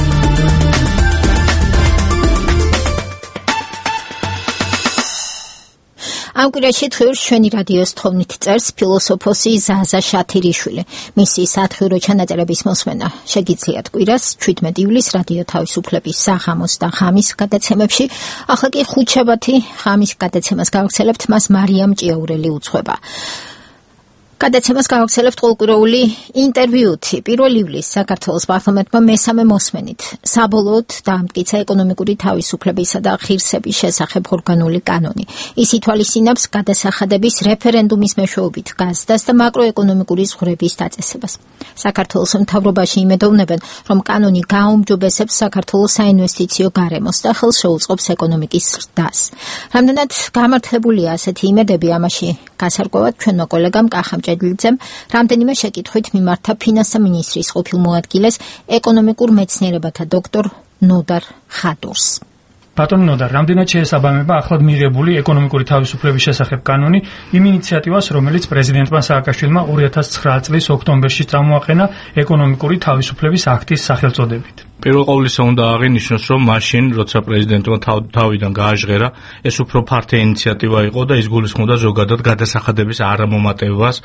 ამ კვირაში დღიურს ჩვენი რადიოს თხოვნით წერს ფილოსოფოსი ზაზა შათირიშვილი. მისი სათხიურო ჩანაწერების მოსმენა შეგიძლიათ კვირას 17 ივლისს რადიო თავისუფლების საღამოს და ღამის გადაცემებში. ახლა კი ხუთშაბათი ღამის გადაცემას გავაგრძელებთ, მას მარიამ ჭიაურელი უძღვება. გადაცემას გავაგრძელებთ ყოველკვირეული ინტერვიუთი. 1 ივლისს საქართველოს პარლამენტმა მესამე მოსმენით საბოლოოდ დაამტკიცა ეკონომიკური თავისუფლებისა და ღირსების შესახებ ორგანული კანონი. ის ითვალისწინებს გადასახადების რეფერენდუმის მეშვეობით გაზდას და მაკროეკონომიკური ზღვრების დაწესებას. საქართველოს მთავრობაში იმედოვნებენ, რომ კანონი გააუმჯობესებს საქართველოს საინვესტიციო გარემოს და ხელს შეუწყობს ეკონომიკის ზრდას. რამდენად გამართლებულია ასეთი იმედები, ამაში გასარკვევად ჩვენმა კოლეგამ კახამ ჭედლიძემ რამდენიმე შეკითხვით მიმართა ფინანსთა მინისტრის ყოფილ მოადგილეს ეკონომიკურ მეცნიერებათა დოქტორ ნოდარ ხადურს.
ბატონო ნოდარ, რამდენად შეესაბამება ახლად მიღებული ეკონომიკური თავისუფლების შესახებ კანონი იმ ინიციატივას, რომელიც პრეზიდენტმა სააკაშვილმა 2009 წლის ოქტომბერში წამოაყენა ეკონომიკური თავისუფლების აქტის სახელწოდებით?
პირველ ყოვლისა უნდა აღინიშნოს, რომ მაშინ, როცა პრეზიდენტმა თავიდან გააჟღერა, ეს უფრო ფართე ინიციატივა იყო და ის გულისხმობდა ზოგადად გადასახადების არამომატებებას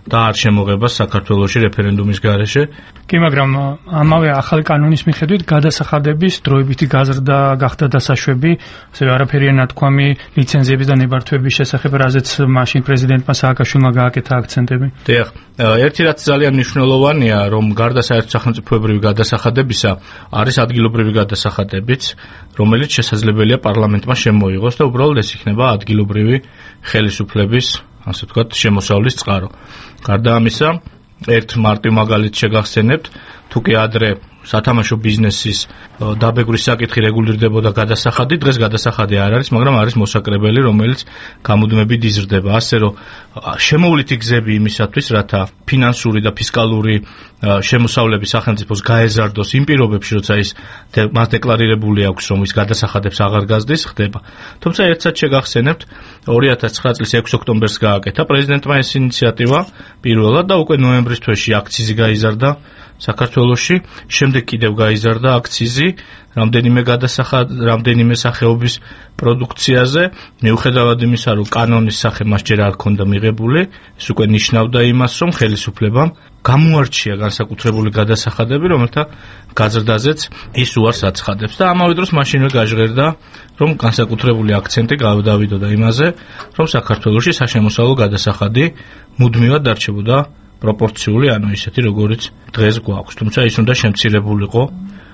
და არ შემოღებას საქართველოში რეფერენდუმის გარეშე.
კი, მაგრამ ამავე ახალი კანონის მიხედვით გადასახადების დროებითი გაზრდა გახდა დასაშვები, ასევე არაფერია ნათქვამი ლიცენზიების და ნებართვების შესახებ, რაზეც მაშინ პრეზიდენტმა სააკაშვილმა გააკეთა აქცენტები.
დიახ, ერთი რაც ძალიან მნიშვნელოვანია, რომ გარდა საერთო სახელმწიფოებრივი გადასახადებისა არის ადგილობრივი გადასახადებიც, რომელიც შესაძლებელია პარლამენტმა შემოიღოს და უბრალოდ ეს იქნება ადგილობრივი ხელისუფლების, ასე ვთქვათ, შემოსავლის წყარო. გარდა ამისა, ერთ მარტივ მაგალითს შეგახსენებთ, თუ კი ადრე სათამაშო ბიზნესის დაბეგვრის საკითხი რეგულირდებოდა გადასახადით, დღეს გადასახადი არ არის, მაგრამ არის მოსაკრებელი, რომელიც გამუდმებით იზრდება. ასე რომ შემოვლითი გზები იმისათვის, რათა ფინანსური და ფისკალური შემოსავლები სახელმწიფოს გაეზარდოს იმ პირობებში, როცა ის მას დეკლარირებული აქვს, რომ ის გადასახადებს აღარ გაზრდის, ხდება. თუმცა ერთსაც შეგახსენებთ, 2009 წლის 6 ოქტომბერს გააკეთა პრეზიდენტმა ეს ინიციატივა პირველად და უკვე ნოემბრის თვეში აქციზი გაიზარდა საქართველოში, შემდეგ კიდევ გაიზარდა აქციზი რამდენიმე სახეობის პროდუქციაზე, მიუხედავად იმისა, რომ კანონის სახე მას ჯერ არ ჰქონდა მიღებული, ეს უკვე ნიშნავდა იმას, რომ ხელისუფლებამ გამოარჩია განსაკუთრებული გადასახადები, რომელთა გაზრდაზეც ის უარს აცხადებს და ამავე დროს მაშინვე გაჟღერდა, რომ განსაკუთრებული აქცენტი გავდავიდოდა იმაზე, რომ საქართველოში საშემოსავლო გადასახადი მუდმივად დარჩებოდა პროპორციული, ანუ ისეთი, როგორიც დღეს გვაქვს. თუმცა ის უნდა შემცირებულიყო,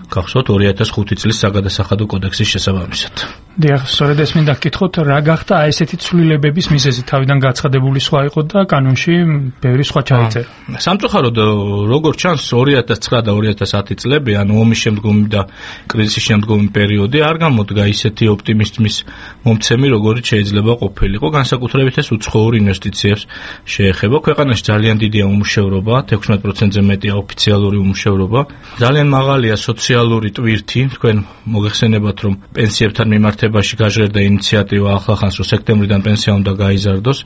გახსოვთ 2005 წლის საგადასახადო კოდექსის შესაბამისად.
დიახ, სწორედ ეს მინდა გკითხოთ, რა გახდა ესეთი ცვლილებების მიზეზი? თავიდან გაცხადებული სხვა იყო და კანონში ბევრი სხვა ჩაიწერა.
სამწუხაროდ, როგორც ჩანს, 2009 და 2010 წლები, ანუ ომის შემდგომი და კრიზისის შემდგომი პერიოდი არ გამოდგა ისეთი ოპტიმიზმის მომცემი, როგორიც შეიძლება ყოფილიყო. განსაკუთრებით ეს უცხოურ ინვესტიციებს შეეხება. ქვეყანაში ძალიან დიდია უმუშევრობა, 16%-ზე მეტია ოფიციალური უმუშევრობა. ძალიან მაღალია სოციალური ტვირთი. თქვენ მოგეხსენებათ, რომ პენსიებთან მიმართებაში გაჟღერდა ინიციატივა ახლახანს, რომ სექტემბრიდან პენსია უნდა გაიზარდოს.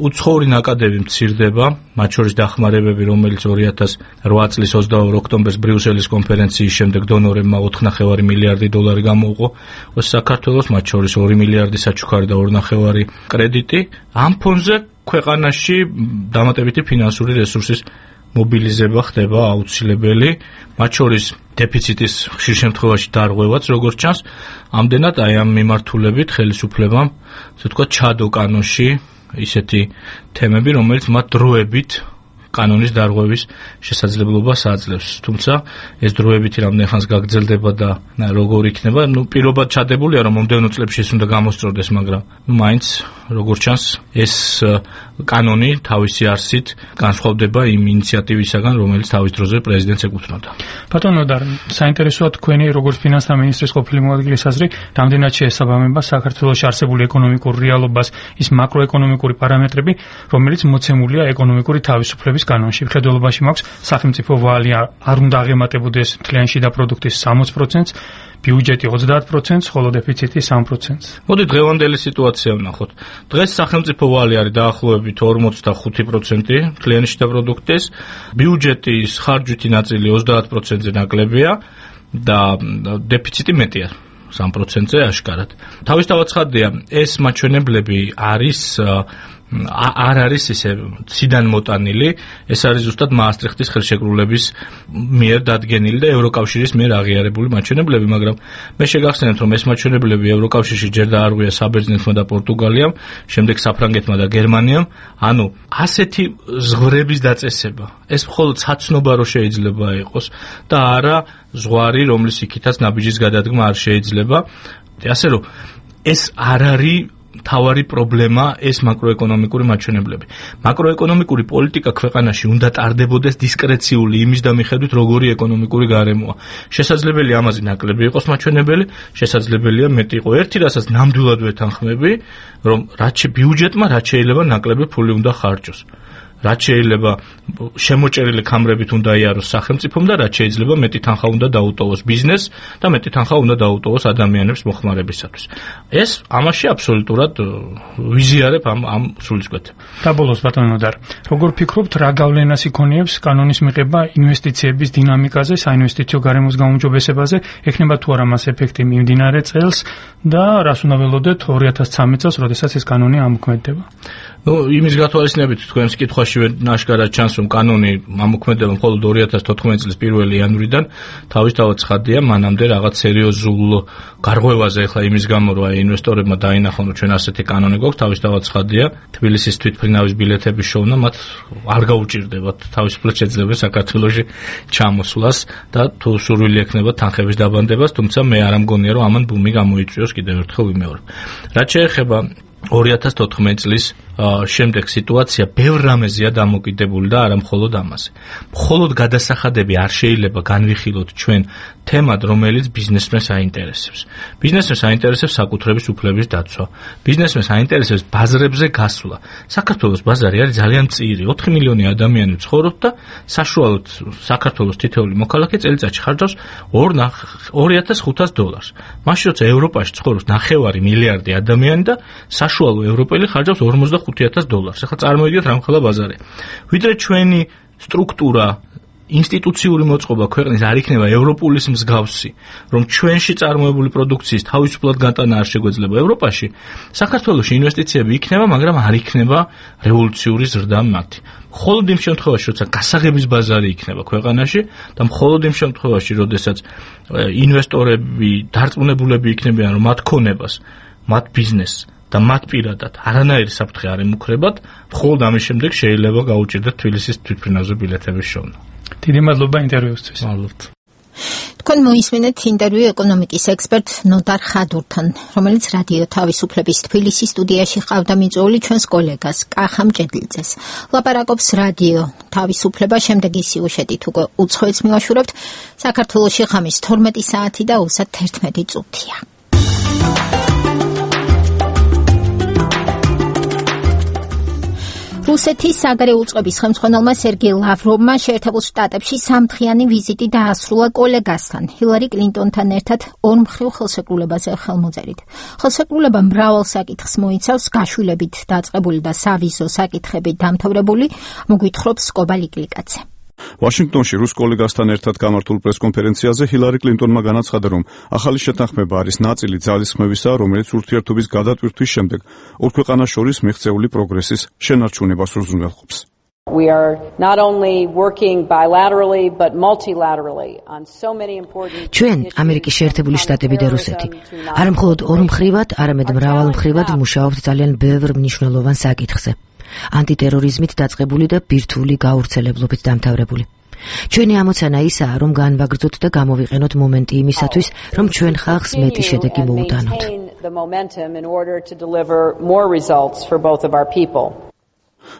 უცხოური ნაკადები მცირდება, მათ შორის დახმარებები, რომელიც 2008 წლის 22 ოქტომბერს ბრიუსელის კონფერენციის შემდეგ დონორებმა 4,5 მილიარდი დოლარი გამოუყო საქართველოს, მათ შორის 2 მილიარდი საჩუქარი და 2,5 კრედიტი. ამ ფონზე ქვეყანაში დამატებითი ფინანსური რესურსის მობილიზება ხდება აუცილებელი, მათ შორის დეფიციტის ხშირ შემთხვევაში დარღვევაც, როგორც ჩანს, ამდენად აი ამ მიმართულებით ხელისუფლებამ, ასე ვთქვათ, ჩადო კანონში ისეთი თემები, რომელიც მათ დროებით კანონის დარღვევის შესაძლებლობას აძლევს. თუმცა ეს დროებითი რამდენ ხანს გაგრძელდება და როგორ იქნება, პირობად ჩადებულია, რომ მომდევნო წლებში ეს უნდა გამოსწორდეს, მაგრამ მაინც როგორც ჩანს, ეს კანონი თავისი არსით განსხვავდება იმ ინიციატივისაგან, რომელიც თავის დროზე პრეზიდენტს ეკუთვნოდა.
ბატონო ნოდარ, საინტერესოა თქვენი როგორც ფინანსთა მინისტრის ყოფილი მოადგილის აზრი, რამდენად შეესაბამება საქართველოში არსებული ეკონომიკურ რეალობას ის მაკროეკონომიკური პარამეტრები, რომელიც მოცემულია ეკონომიკური თავისუფლების კანონში. მხედველობაში მაქვს სახელმწიფო ვალი არ უნდა აღემატებოდეს მთლიანი შიდა პროდუქტის 60%-ს, ბიუჯეტი 30%-ს, ხოლო დეფიციტი 3%-ს.
მოდი დღევანდელი სიტუაცია ვნახოთ. დღეს სახელმწიფო ვალი არის დაახლოებით 45% მთლიანი შიდა პროდუქტის, ბიუჯეტის ხარჯვითი ნაწილი 30%-ზე ნაკლებია და დეფიციტი მეტია 3%-ზე აშკარად. თავისთავად ცხადია, ეს მაჩვენებლები არ არის ისე ციდან მოტანილი, ეს არის ზუსტად მაასტრიხტის ხელშეკრულების მიერ დადგენილი და ევროკავშირის მიერ აღიარებული მაჩვენებლები, მაგრამ მე შეგახსენებთ, რომ ეს მაჩვენებლები ევროკავშირში ჯერ დაარღვია საბერძნეთმა და პორტუგალიამ, შემდეგ საფრანგეთმა და გერმანიამ, ანუ ასეთი ზღვრების დაწესება, ეს მხოლოდ საცნობა რო შეიძლება იყოს და არა ზღვარი, რომლის იქითაც ნაბიჯის გადადგმა არ შეიძლება. ასე რომ ეს არ არის თავარი პრობლემა, ეს მაკროეკონომიკური მაჩვენებლები. მაკროეკონომიკური პოლიტიკა ქვეყანაში უნდა ტარდებოდეს დისკრეციული იმის და მიხედვით, როგორი ეკონომიკური გარემოა. შესაძლებელია ამაზე ნაკლები იყოს მაჩვენებელი, შესაძლებელია მეტი იყო. ერთი რასაც ნამდვილად ვეთანხმები, რომ რაც ბიუჯეტმა რაც შეიძლება ნაკლები ფული უნდა ხარჯოს. რაც შეიძლება შემოჭერილი კამრებით უნდა იაროს სახელმწიფომ და რაც შეიძლება მეტი თანხა უნდა დაუტოვოს ბიზნესს და მეტი თანხა უნდა დაუტოვოს ადამიანებს მოხმარებისათვის. ეს ამაში აბსოლუტურად ვიზიარებ ამ სულისკვეთებს.
და ბოლოს ბატონო ნოდარ, როგორ ფიქრობთ, რა გავლენას იქონიებს კანონის მიღება ინვესტიციების დინამიკაზე, საინვესტიციო გარემოს გაუმჯობესებაზე, ექნება თუ არა მას ეფექტი მიმდინარე წელს და რას უნდა ველოდეთ 2013 წელს, როდესაც ეს კანონი ამოქმედდება?
იმის გათვალისწინებით თქვენს კითხვაშივე ნაშკარად ჩანს, რომ კანონი ამოქმედება მხოლოდ 2014 წლის 1 იანვრიდან, თავისთავად ცხადია, მანამდე რაღაც სერიოზულ გარღვევაზე ახლა იმის გამო, რომ ინვესტორებმა დაინახონ, რომ ჩვენ ასეთი კანონი გვაქვს, თავისთავად ცხადია, თბილისის თვითმფრინავის ბილეთების შოვნა მათ არ გაუჭირდებათ, თავისუფლად შეძლებენ საქართველოში ჩამოსვლას და თუ სურვილი ექნება თანხების დაბანდებას, თუმცა მე არ ამგონია, რომ ამან ბუმი გამოიწვიოს, კიდევ ერთხელ ვიმეორებ. რაც შეეხება 2014 წლის შემდეგ სიტუაცია ბევრ რამეზეა დამოკიდებული და არა მხოლოდ ამაზე. მხოლოდ გადასახადები არ შეიძლება განვიხილოთ ჩვენ თემად, რომელიც ბიზნესმენს აინტერესებს. ბიზნესმენს აინტერესებს საკუთრების უფლების დაცვა. ბიზნესმენს აინტერესებს ბაზრებზე გასვლა. საქართველოს ბაზარი არის ძალიან მწირი, 4 მილიონი ადამიანი ცხოვრობს და საშუალოდ საქართველოს თითოეული მოქალაქე წელიწადში ხარჯავს $2,500. მაშინ როცა ევროპაში ცხოვრობს 9 მილიარდი ადამიანი და საშუალო ევროპელი ხარჯავს $45,000. ახლა წარმოიდგინეთ რა მხოლოდ ბაზარი. ვიდრე ჩვენი სტრუქტურა ინსტიტუციური მოწყობა ქვეყნის არ იქნება ევროპულის მსგავსი, რომ ჩვენში წარმოებული პროდუქციის თავისუფლად გატანა არ შეგვეძლება ევროპაში, საქართველოში ინვესტიციები იქნება, მაგრამ არ იქნება რევოლუციური ზრდა მათი. მხოლოდ იმ შემთხვევაში, როცა გასაღების ბაზარი იქნება ქვეყანაში და მხოლოდ იმ შემთხვევაში, როდესაც ინვესტორები დარწმუნებულები იქნებიან, რომ მათ ქონებას, მათ ბიზნესს და მათ პირადად არანაირი საფრთხე არ ემუქრებათ, მხოლოდ ამის შემდეგ შეიძლება გაუჭირდეთ თბილისის თვითმფრინავზე ბილეთების შოვნა.
დიდი მადლობა ინტერვიუსთვის.
მადლობთ.
თქვენ მოისმენთ ინტერვიუ ეკონომიკის ექსპერტ ნოდარ ხადურთან, რომელიც რადიო თავისუფლების თბილისის სტუდიაში ყავდა მიწვეული ჩვენს კოლეგას კახა მჭედლიძეს. ლაპარაკობს რადიო თავისუფლება, შემდეგი სიუჟეტით უკვე უცხოეთს მივაშურებთ. საქართველოში ღამის 12 საათი და 31 წუთია. რუსეთის საგარეო უწყების ხელმძღვანელმა სერგეი ლავროვმა შეერთებულ შტატებში სამდღიანი ვიზიტი დაასრულა კოლეგასთან, ჰილარი კლინტონთან ერთად ორმხრივ ხელშეკრულებაზე ხელმოწერით. ხელშეკრულება მრავალ საკითხს მოიცავს, გაშვილებით დაწყებული და სავიზო საკითხებით დამთავრებული, მოგვითხრობს სკობა ლიკლიკაძე.
ვაშინგტონში რუს კოლეგასთან ერთად გამართულ პრესკონფერენციაზე ჰილარი კლინტონმა განაცხადა, რომ ახალი შეთანხმება არის ნაწილი ძალისხმევისა, რომელიც ურთიერთობის გადატვირთვის შემდეგ ორ ქვეყანას შორის მიღწეული პროგრესის შენარჩუნებას უზრუნველყოფს.
We are not only working bilaterally but multilaterally on so many important
ჩვენ ამერიკის შეერთებული შტატები და რუსეთი არა მხოლოდ ორმხრივად, არამედ მრავალმხრივად ვმუშაობთ ძალიან ბევრ მნიშვნელოვან საკითხზე. ანტიტერორიზმით დაწყებული და ბირთვული გავრცელებლობით დამთავრებული. ჩვენი ამოცანა ისაა, რომ განვაგრძოთ და გამოვიყენოთ მომენტი იმისათვის, რომ ჩვენ ხალხს მეტი შედეგი მოუტანოთ.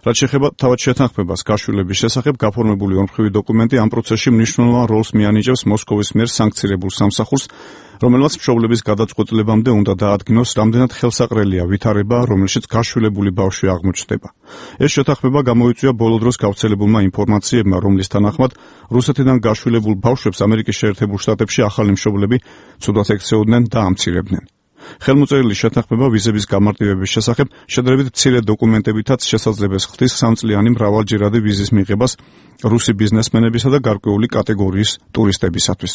რაც შეეხება თავად შეთანხმებას გაშვილების შესახებ, გაფორმებული ორმხრივი დოკუმენტი ამ პროცესში მნიშვნელოვან როლს მიანიჭებს მოსკოვის მიერ სანქცირებულ სამსახურს, რომელმაც მშობლების გადაწყვეტილებამდე უნდა დაადგინოს, რამდენად ხელსაყრელია ვითარება, რომელშიც გაშვილებული ბავშვი აღმოჩნდება. ეს შეთანხმება გამოიწვია ბოლო დროს გავრცელებულმა ინფორმაციებმა, რომლის თანახმად რუსეთიდან გაშვილებულ ბავშვებს ამერიკის შეერთებულ შტატებში ახალი მშობლები ცუდად ექცეოდნენ და ამცირებდნენ. ხელმოწერილი შეთანხმება ვიზების გამარტივების შესახებ შედარებით მცირე დოკუმენტებითაც შესაძლებელი ხდის სამწლიანი მრავალჯერადი ვიზის მიღებას რუსი ბიზნესმენებისა და გარკვეული კატეგორიის ტურისტებისათვის.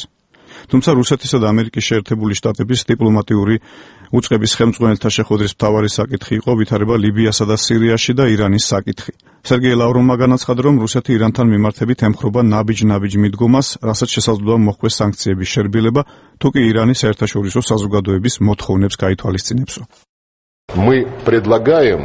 თუმცა რუსეთისა და ამერიკის შეერთებული შტატების დიპლომატიური უწყების ხელმძღვანელთა შეხვედრის მთავარი საკითხი იყო ვითარება ლიბიასა და სირიაში და ირანის საკითხი. სერგეი ლავროვმა განაცხადა, რომ რუსეთი ირანთან მიმართებით ემხრობა ნაბიჯ-ნაბიჯ მიდგომას, რასაც შესაძლოა მოხდეს სანქციების შერბილება, თუ კი ირანის საერთაშორისო საზოგადოების მოთხოვნებს გაითვალისწინებსო.
Мы предлагаем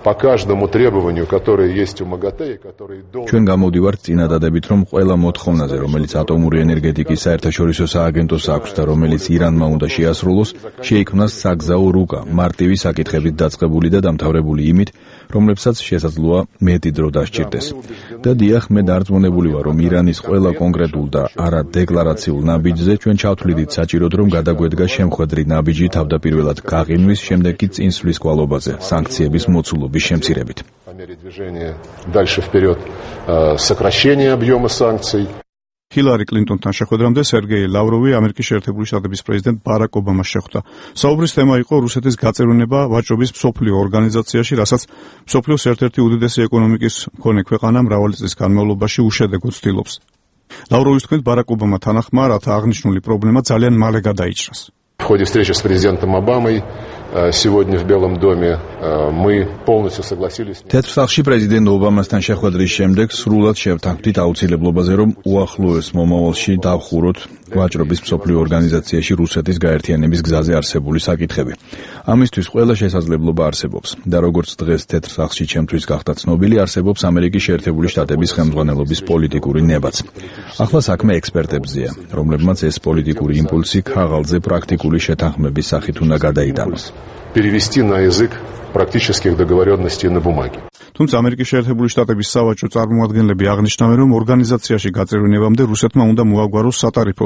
по каждому требованию, которое есть у МАГАТЭ, который должен...
ჩვენ გამოვდივართ წინადადებით, რომ ყველა მოთხოვნაზე, რომელიც ატომური ენერგეტიკის საერთაშორისო სააგენტოს აქვს და რომელიც ირანმა უნდა შეასრულოს, შეიქმნას საგზაო რუკა, მარტივი საკითხებით დაწყებული და დამთავრებული იმით, რომლებსაც შესაძლოა მეტი დრო დასჭირდეს. და დიახ, მე დარწმუნებული ვარ, რომ ირანის ყველა კონკრეტულ და არა დეკლარაციულ ნაბიჯზე ჩვენ ჩავთვლიდით საჭიროდ, რომ გადაგვედგა შემხვედრი ნაბიჯი თავდაპირველად გაყინვის, შემდეგ კი წინსვლის კვალობაზე, სანქციების მოცულობის შემცირებით.
Движение дальше вперед, сокращение объема санкций.
ჰილარი კლინტონთან შეხვედრამდე სერგეი ლავროვი ამერიკის შეერთებული შტატების პრეზიდენტ ბარაკ ობამას შეხვდა. საუბრის თემა იყო რუსეთის გაწევრიანება ვაჭრობის მსოფლიო ორგანიზაციაში, რასაც მსოფლიოს ერთ-ერთი უდიდესი ეკონომიკის მქონე ქვეყანა მრავალი წლის განმავლობაში უშედეგოდ ცდილობს. ლავროვის თქმით, ბარაკ ობამა თანახმა, რათა აღნიშნული პრობლემა ძალიან მალე გადაიჭრას.
В ходе встречи с президентом Обамой сегодня в Белом доме мы полностью согласились.
თეთრ სახლში პრეზიდენტ ობამასთან შეხვედრის შემდეგ სრულად შევთანხმდით აუცილებლობაზე, რომ უახლოეს მომავალში დავხუროთ ვაჭრობის მსოფლიო ორგანიზაციაში რუსეთის გაერთიანების გზაზე არსებული საკითხები. ამისთვის ყველა შესაძლებლობა არსებობს და როგორც დღეს თეთრ სახლში ჩემთვის გახდა ცნობილი, არსებობს ამერიკის შეერთებული შტატების ხელმძღვანელობის პოლიტიკური ნებაც. ახლა საქმე ექსპერტებზეა, რომლებმაც ეს პოლიტიკური იმპულსი ქაღალდზე პრაქტიკული შეთანხმების სახით უნდა გადაიტანოს.
Перевести на язык практических договоренностей на бумаге.
თუმცა ამერიკის შეერთებული შტატების სავაჭრო წარმომადგენლები აღნიშნავენ, რომ ორგანიზაციაში გაწევრიანებამდე რუსეთმა უნდა მოაგვაროს სატარიფო,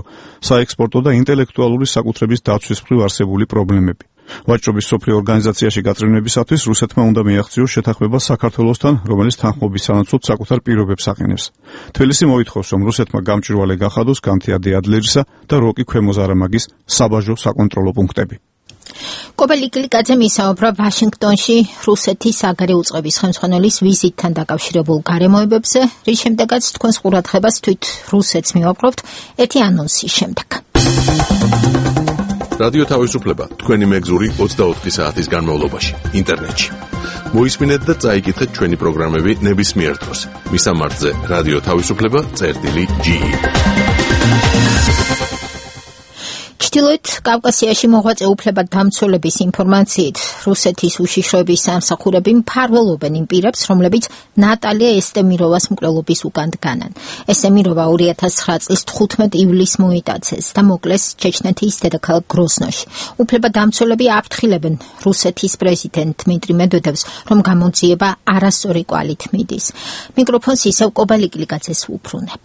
საექსპორტო და ინტელექტუალური საკუთრების დაცვის მხრივ არსებული პრობლემები. ვაჭრობის მსოფლიო ორგანიზაციაში გაწევრიანებისათვის რუსეთმა უნდა მიაღწიოს შეთანხმება საქართველოსთან, რომელიც თანხმობის სანაცვლოდ საკუთარ პირობებს აყენებს. თბილისი მოითხოვს, რომ რუსეთმა გამჭვირვალე გახადოს განთიადი ადლერისა და როკი ქვემოზარამაგის საბაჟო საკონტროლო პუნქტები.
კობელი კლიკაძე მისაუბრა ვაშინგტონში რუსეთის საგარეო უწყების ხელმძღვანელის ვიზიტთან დაკავშირებულ გარემოებებზე, რის შემდეგაც თქვენს ყურადღებას თვით რუსეთს მივაპყრობთ ერთი ანონსის შემდეგ.
რადიო თავისუფლება თქვენი მეგზური 24 საათის განმავლობაში ინტერნეტში. მოისმინეთ და წაიკითხეთ ჩვენი პროგრამები ნებისმიერ დროს. მისამართზე რადიო თავისუფლება.ge.
ჩრდილოეთ კავკასიაში მოღვაწე უფლებადამცველების ინფორმაციით, რუსეთის უშიშროების სამსახურები მფარველობენ იმ პირებს, რომლებიც ნატალია ესტემიროვას მკვლელობის უკან დგანან. ესტემიროვა 2009 წლის 15 ივლისს მოიტაცეს და მოკლეს ჩეჩნეთის დედაქალაქ გროზნოში. უფლებადამცველები აფრთხილებენ რუსეთის პრეზიდენტ დმიტრი მედვედევს, რომ გამოძიება არასწორი კვალით მიდის. მიკროფონს ისევ კობელი კლიკაძეს უბრუნებ.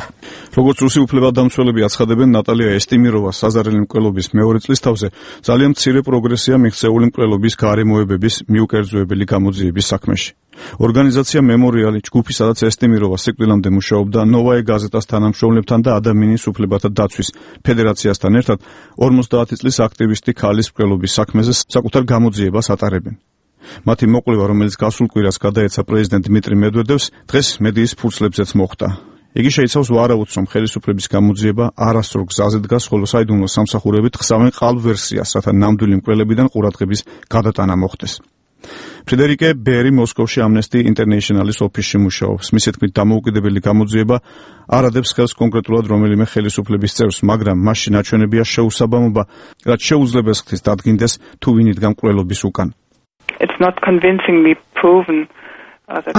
როგორც რუსი უფლებადამცველები აცხადებენ, ნატალია ესტემიროვას საზარელი მკვლელობის მეორე წლის თავზე ძალიან მცირე პროგრესია მიღწეული მკვლელობის გარემოებების მიუკერძოებელი გამოძიების საქმეში. ორგანიზაცია მემორიალი, ჯგუფი, სადაც ესტემიროვა სიკვდილამდე მუშაობდა, ნოვაე გაზეტას თანამშრომლებთან და ადამიანის უფლებათა დაცვის ფედერაციასთან ერთად 50 წლის აქტივისტი ქალის მკვლელობის საქმეზე საკუთარ გამოძიებას ატარებენ. მათი მოკვლევა, რომელიც გასულ კვირას გადაეცა პრეზიდენტ დმიტრი მედვედევს, დღეს მედიის ფურცლებზეც მოხდა. იგი შეიცავს ვარაუდს, რომ ხელისუფლების გამოძიება არასწორ გზაზე დგას, ხოლო საიდუმლო სამსახურები თხსავენ ყალბ ვერსიას, რათა ნამდვილი მკვლელებიდან ყურადღების გადატანა მოხდეს. ფრედერიკე ბერი მოსკოვში ამნესტი ინტერნეიშნალის ოფისში მუშაობს. მისი თქმით, დამოუკიდებელი გამოძიება არ ადებს ხელს კონკრეტულად რომელიმე ხელისუფლების წევრს, მაგრამ მასში ნაჩვენებია შეუსაბამობა, რაც შეუძლებს ხდის დადგინდეს თუ ვინ იდგა მკვლელობის უკან.
It's not convincingly proven.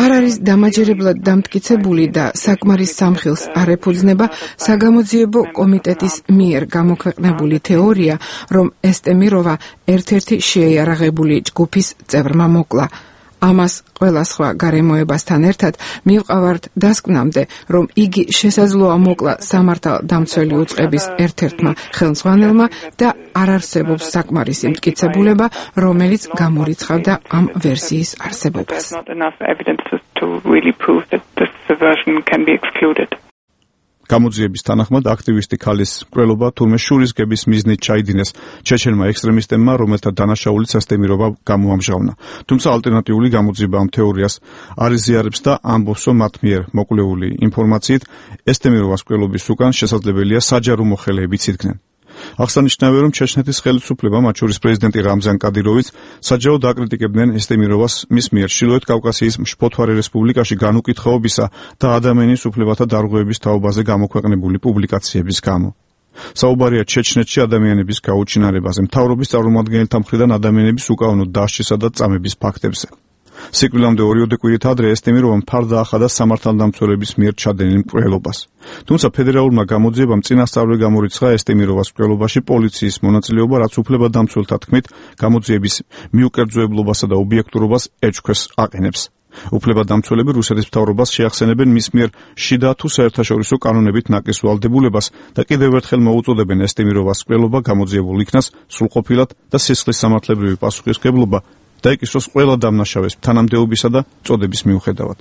არ არის დამაჯერებლად დამტკიცებული და საკმარის სამხილს არ ეფუძნება საგამოძიებო კომიტეტის მიერ გამოქვეყნებული თეორია, რომ ესტემიროვა ერთ-ერთი შეიარაღებული ჯგუფის წევრმა მოკლა. ამას ყველა სხვა გარემოებასთან ერთად მივყავართ დასკვნამდე, რომ იგი შესაძლოა მოკლა სამართალდამცველი უწყების ერთ-ერთმა ხელმძღვანელმა და არ არსებობს საკმარისი მტკიცებულება, რომელიც გამორიცხავდა ამ ვერსიის არსებობას.
გამოძიების თანახმად აქტივისტი ქალის მკვლელობა თურმე შურისგების მიზნით ჩაიდინეს ჩეჩენმა ექსტრემისტებმა, რომელთა დანაშაულიც ესტემიროვა გამოამჟღავნა. თუმცა ალტერნატიული გამოძიება ამ თეორიას არ იზიარებს და ამბობს, რომ მათ მიერ მოკვლეული ინფორმაციით ესტემიროვას მკვლელობის უკან შესაძლებელია საჯარო მოხელეებიც იდგნენ. აღსანიშნავია, რომ ჩეჩნეთის ხელისუფლება, მათ შორის პრეზიდენტი რამზან კადიროვიც, საჯაროდ აკრიტიკებდნენ ესტემიროვას მის მიერ ჩრდილოეთ კავკასიის მშფოთვარე რესპუბლიკაში განუკითხაობისა და ადამიანის უფლებათა დარღვევების თაობაზე გამოქვეყნებული პუბლიკაციების გამო. საუბარია ჩეჩნეთში ადამიანების გაუჩინარებაზე, მთავრობის წარმომადგენელთა მხრიდან ადამიანების უკანონო დასჯისა და წამების ფაქტებზე. სიკვდილამდე 2 კვირით ადრე ესტემიროვამ ფარდა ახადა სამართალდამცველების მიერ ჩადენილ მკვლელობას. თუმცა ფედერალურმა გამოძიებამ წინასწარვე გამორიცხა ესტემიროვას მკვლელობაში პოლიციის მონაწილეობა, რაც უფლებადამცველთა თქმით გამოძიების მიუკერძოებლობასა და ობიექტურობას ეჭქვეს აყენებს. უფლებადამცველები რუსეთის მთავრობას შეახსენებენ მის მიერ შიდა თუ საერთაშორისო კანონებით ნაკის ვალდებულებას და კიდევ ერთხელ მოუწოდებენ ესტემიროვას მკვლელობა გამოძიებულ იქნას სრულყოფილად და სისხლის სამართლებრივი პასუხისმგებლობა დაიკისროს ყველა დამნაშავეს თანამდებობისა და წოდების მიუხედავად.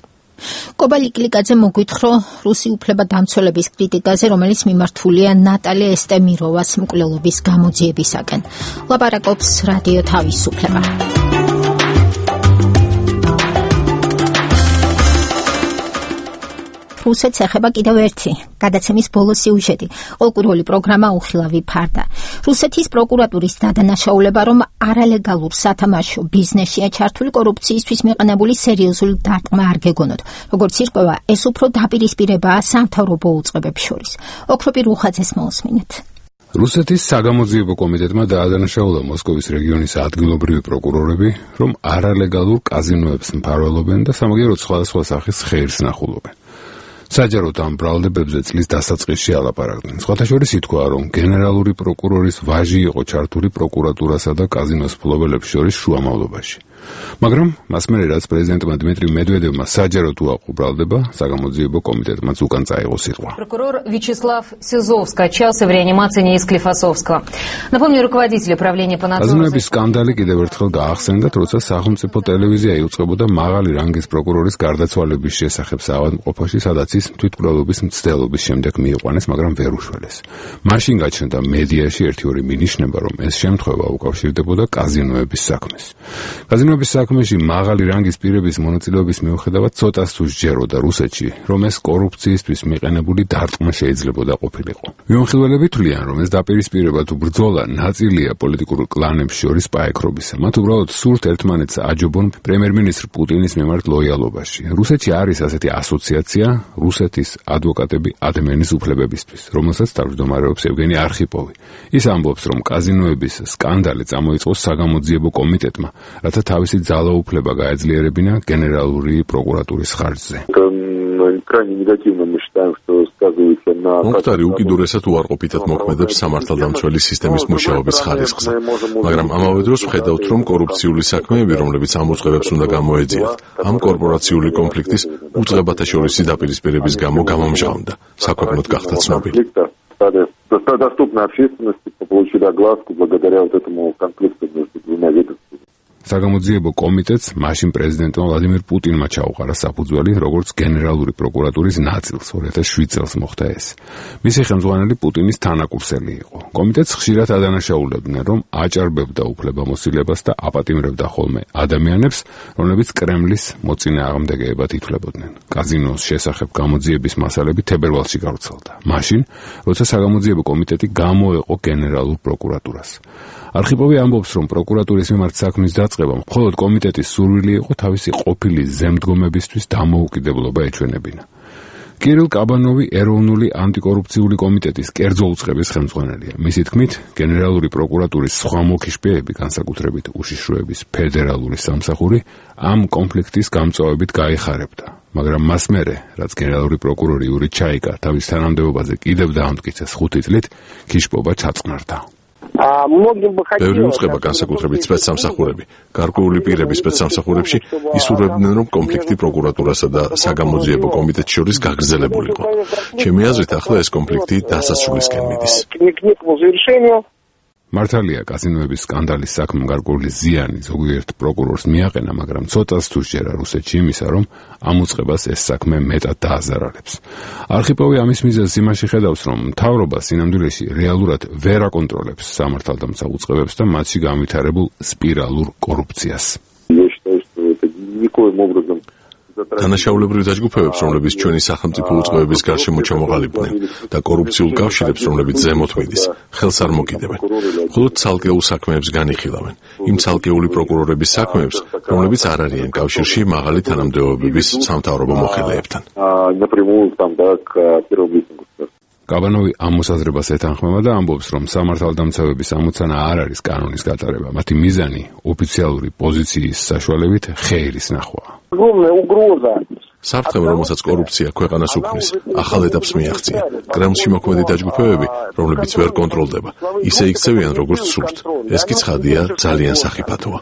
კობალი კლიკაძე მოგვითხრო რუსი უფლებადამცველების კრიტიკაზე, რომელიც მიმართულია ნატალია ესტემიროვას მკვლელობის გამოძიებისაკენ. ლაპარაკობს რადიო თავისუფლება. რუსეთს ეხება კიდევ ერთი გადაცემის ბოლო სიუჟეტი. ყოლკურველი პროგრამა უხილავი ფარდა. რუსეთის პროკურატურის დადანაშაულება, რომ არალეგალურ სათამაშო ბიზნესშია ჩართული კორუფციისთვის მიყენებული სერიოზული დარტყმა არ გეგონოთ. როგორც ირკვევა, ეს უფრო დაპირისპირებაა სამთავრობო უწყებებს შორის. ოქროპი რუხაძეს მოусმინეთ.
რუსეთის საგამოძიებო კომიტეტმა დაადანაშაულა მოსკოვის რეგიონის ადგილობრივი პროკურორები, რომ არალეგალურ კაზინოებს მფარველობენ და სამაგიეროდ სხვადასხვა სახის ხეირს ნახულობენ. საჯაროდ ამ ბრალდებებზე წლის დასაწყისში ალაპარაკდნენ. სხვათა შორის ითქვა, რომ გენერალური პროკურორის ვაჟი იყო ჩართული პროკურატურასა და კაზინოს მფლობელებს შორის შუამავლობაში. მაგრამ მას მერე რაც პრეზიდენტმა დმიტრი მედვედევმა საჯაროდ უაყო ბრალდება, საგამოძიებო კომიტეტმაც უკან წაიღო სიტყვა.
Прокурор Вячеслав Сизов скачался в реанимации НИИ Склифосовского. Напомню, руководитель управления по надзору.
კაზინოების სკანდალი კიდევ ერთხელ გაახსენდა, როცა სახელმწიფო ტელევიზია იუწყებოდა მაღალი რანგის პროკურორის გარდაცვალების შესახებ საავადმყოფოში, სადაც ის თვითმკვლელობის მცდელობის შემდეგ მიიყვანეს, მაგრამ ვერ უშველეს. მაშინ გაჩნდა მედიაში ერთი-ორი მინიშნება, რომ ეს შემთხვევა უკავშირდებოდა კაზინოების საქმეს. კაზინოების საქმეში მაღალი რანგის პირების მონაწილეობის მიუხედავად ცოტას თუ სჯეროდა რუსეთში, რომ ეს კორუფციისთვის მიყენებული დარტყმა შეიძლებოდა ყოფილიყო. მიმოხილველები თვლიან, რომ ეს დაპირისპირება თუ ბრძოლა ნაწილია პოლიტიკურ კლანებს შორის პაექრობისა. მათ უბრალოდ სურთ ერთმანეთს აჯობონ პრემიერ-მინისტრ პუტინის მიმართ ლოიალობაში. რუსეთში არის ასეთი ასოციაცია რუსეთის ადვოკატები ადამიანის უფლებებისთვის, რომელსაც თავმჯდომარეობს ევგენი არხიპოვი. ის ამბობს, რომ კაზინოების სკანდალი წამოიწყო საგამოძიებო კომიტეტმა, რათა თავისი ძალაუფლება გაეძლიერებინა გენერალური პროკურატურის ხარჯზე.
მომხდარი უკიდურესად უარყოფითად მოქმედებს სამართალდამცველი სისტემის მუშაობის ხარისხზე, მაგრამ ამავე დროს ვხედავთ, რომ კორუფციული საქმეები, რომლებიც ამ უწყებებს უნდა გამოეძიათ, ამ კორპორაციული კონფლიქტის უწყებათა შორისი დაპირისპირების გამო გამომჟღავნდა, საქვეყნოდ გახდა ცნობილი.
Доступна общественности получили огласку благодаря вот этому конфликту между двумя ведомствами.
საგამოძიებო კომიტეტს მაშინ პრეზიდენტმა ვლადიმირ პუტინმა ჩაუყარა საფუძველი, როგორც გენერალური პროკურატურის ნაწილს 2007 წელს მოხდა ეს. მისი ხელმძღვანელი პუტინის თანაკურსელი იყო. კომიტეტს ხშირად ადანაშაულებდნენ, რომ აჭარბებდა უფლებამოსილებას და აპატიმრებდა ხოლმე ადამიანებს, რომლებიც კრემლის მოწინააღმდეგეებად ითვლებოდნენ. კაზინოს შესახებ გამოძიების მასალები თებერვალში გავრცელდა. მაშინ, როცა საგამოძიებო კომიტეტი გამოეყო გენერალურ პროკურატურას. არხიპოვი ამბობს, რომ პროკურატურის მიმართ საქმის დაწყებამ მხოლოდ კომიტეტის სურვილი იყო თავისი ყოფილი ზემდგომებისთვის დამოუკიდებლობა ეჩვენებინა. კირილ კაბანოვი ეროვნული ანტიკორუფციული კომიტეტის კერძო უწყების ხელმძღვანელია. მისი თქმით, გენერალური პროკურატურის სხვა მოკიშპეები, განსაკუთრებით უშიშროების ფედერალური სამსახური, ამ კონფლიქტის გამწვავებით გაიხარებდა. მაგრამ მას მერე, რაც გენერალური პროკურორი იური ჩაიკა თავის თანამდებობაზე კიდევ დაამტკიცეს 5 წლით, ქიშპობა ჩაწყნარდა.
ბევრი უწყება, განსაკუთრებით სპეცსამსახურები, გარკვეული პირების სპეცსამსახურებში ისურვებდნენ, რომ კონფლიქტი პროკურატურასა და საგამოძიებო კომიტეტს შორის გაგრძელებულიყო. ჩემი აზრით, ახლა ეს კონფლიქტი დასასრულისკენ მიდის.
მართალია, კაზინოების სკანდალის საქმემ გარკვეული ზიანი ზოგიერთ პროკურორს მიაყენა, მაგრამ ცოტას თუ შეერა რუსეთში იმისა, რომ ამ უწყებას ეს საქმე მეტად დააზარალებს. არხიპოვი ამის მიზეზს იმაში ხედავს, რომ მთავრობა სინამდვილეში რეალურად ვერ აკონტროლებს სამართალდამცავ უწყებებს და მათში განვითარებულ სპირალურ კორუფციას.
თანაშაულებრივ დაჯგუფებებს, რომლებიც ჩვენი სახელმწიფო უწყებების გარშემო ჩამოყალიბდნენ და კორუფციულ კავშირებს, რომლებიც ზემოთ მიდის, ხელს არ მოკიდებენ. მხოლოდ ცალკეულ საქმეებს განიხილავენ. იმ ცალკეული პროკურორების საქმეებს, რომლებიც არ არიან კავშირში მაღალი თანამდებობების სამთავრობო მოხელეებთან.
კაბანოვი ამ მოსაზრებას ეთანხმება და ამბობს, რომ სამართალდამცავების ამოცანა არ არის კანონის გატარება. მათი მიზანი ოფიციალური პოზიციის საშუალებით ხეირის ნახვა.
საფრთხემ, რომელსაც კორუფცია ქვეყანას უქმნის, ახალ ეტაპს მიაღწია. კრემლში მოქმედი დაჯგუფებები, რომლებიც ვერ კონტროლდება, ისე იქცევიან, როგორც სურთ. ეს კი ცხადია, ძალიან სახიფათოა.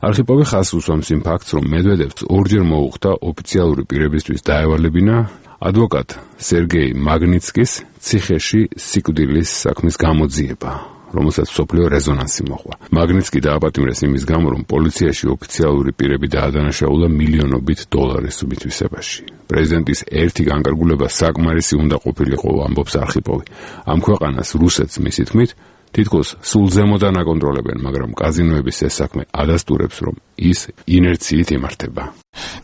არხიპოვი ხაზს უსვამს იმ ფაქტს, რომ მედვედევს ორჯერ მოუხდა ოფიციალური პირებისთვის დაევალებინა ადვოკატ სერგეი მაგნიცკის ციხეში სიკვდილის საქმის გამოძიება. რომელსაც მსოფლიო რეზონანსი მოჰყვა. მაგნიტსკი დააპატიმრეს იმის გამო, რომ პოლიციაში ოფიციალური პირები დაადანაშაულა მილიონობით დოლარის მითვისებაში. პრეზიდენტის ერთი განკარგულება საკმარისი უნდა ყოფილიყო, ამბობს არხიპოვი. ამ ქვეყანას რუსეთს მისი თქმით თითქოს სულ ზემოდან აკონტროლებენ, მაგრამ კაზინოების ეს საქმე ადასტურებს, რომ ის ინერციით იმართება.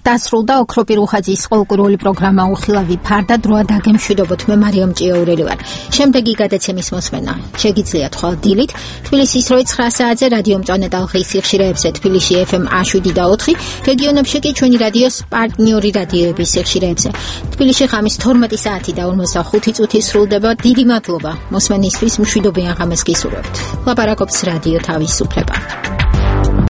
დასრულდა ოქროპი რუხაძის ყოლკურული პროგრამა უხილავი ფარდა დროა დაგემშვიდობოთ მე მარიამ ჭიაურელი ვარ. შემდეგი გადაცემის მოსმენა შეგიძლიათ ხვალ დილით თბილისის 9 საათზე რადიო მწვანე ტალღის სიხშირეებზე თბილისში FM 107 და 4, რეგიონებში კი ჩვენი რადიოს პარტნიორი რადიოების სიხშირეებზე. თბილისში ღამის 12 საათი და 45 წუთი სრულდება. დიდი მადლობა მოსმენისთვის, მშვიდობიან ღამეს გისურვებთ. ლაპარაკობს რადიო თავისუფლება.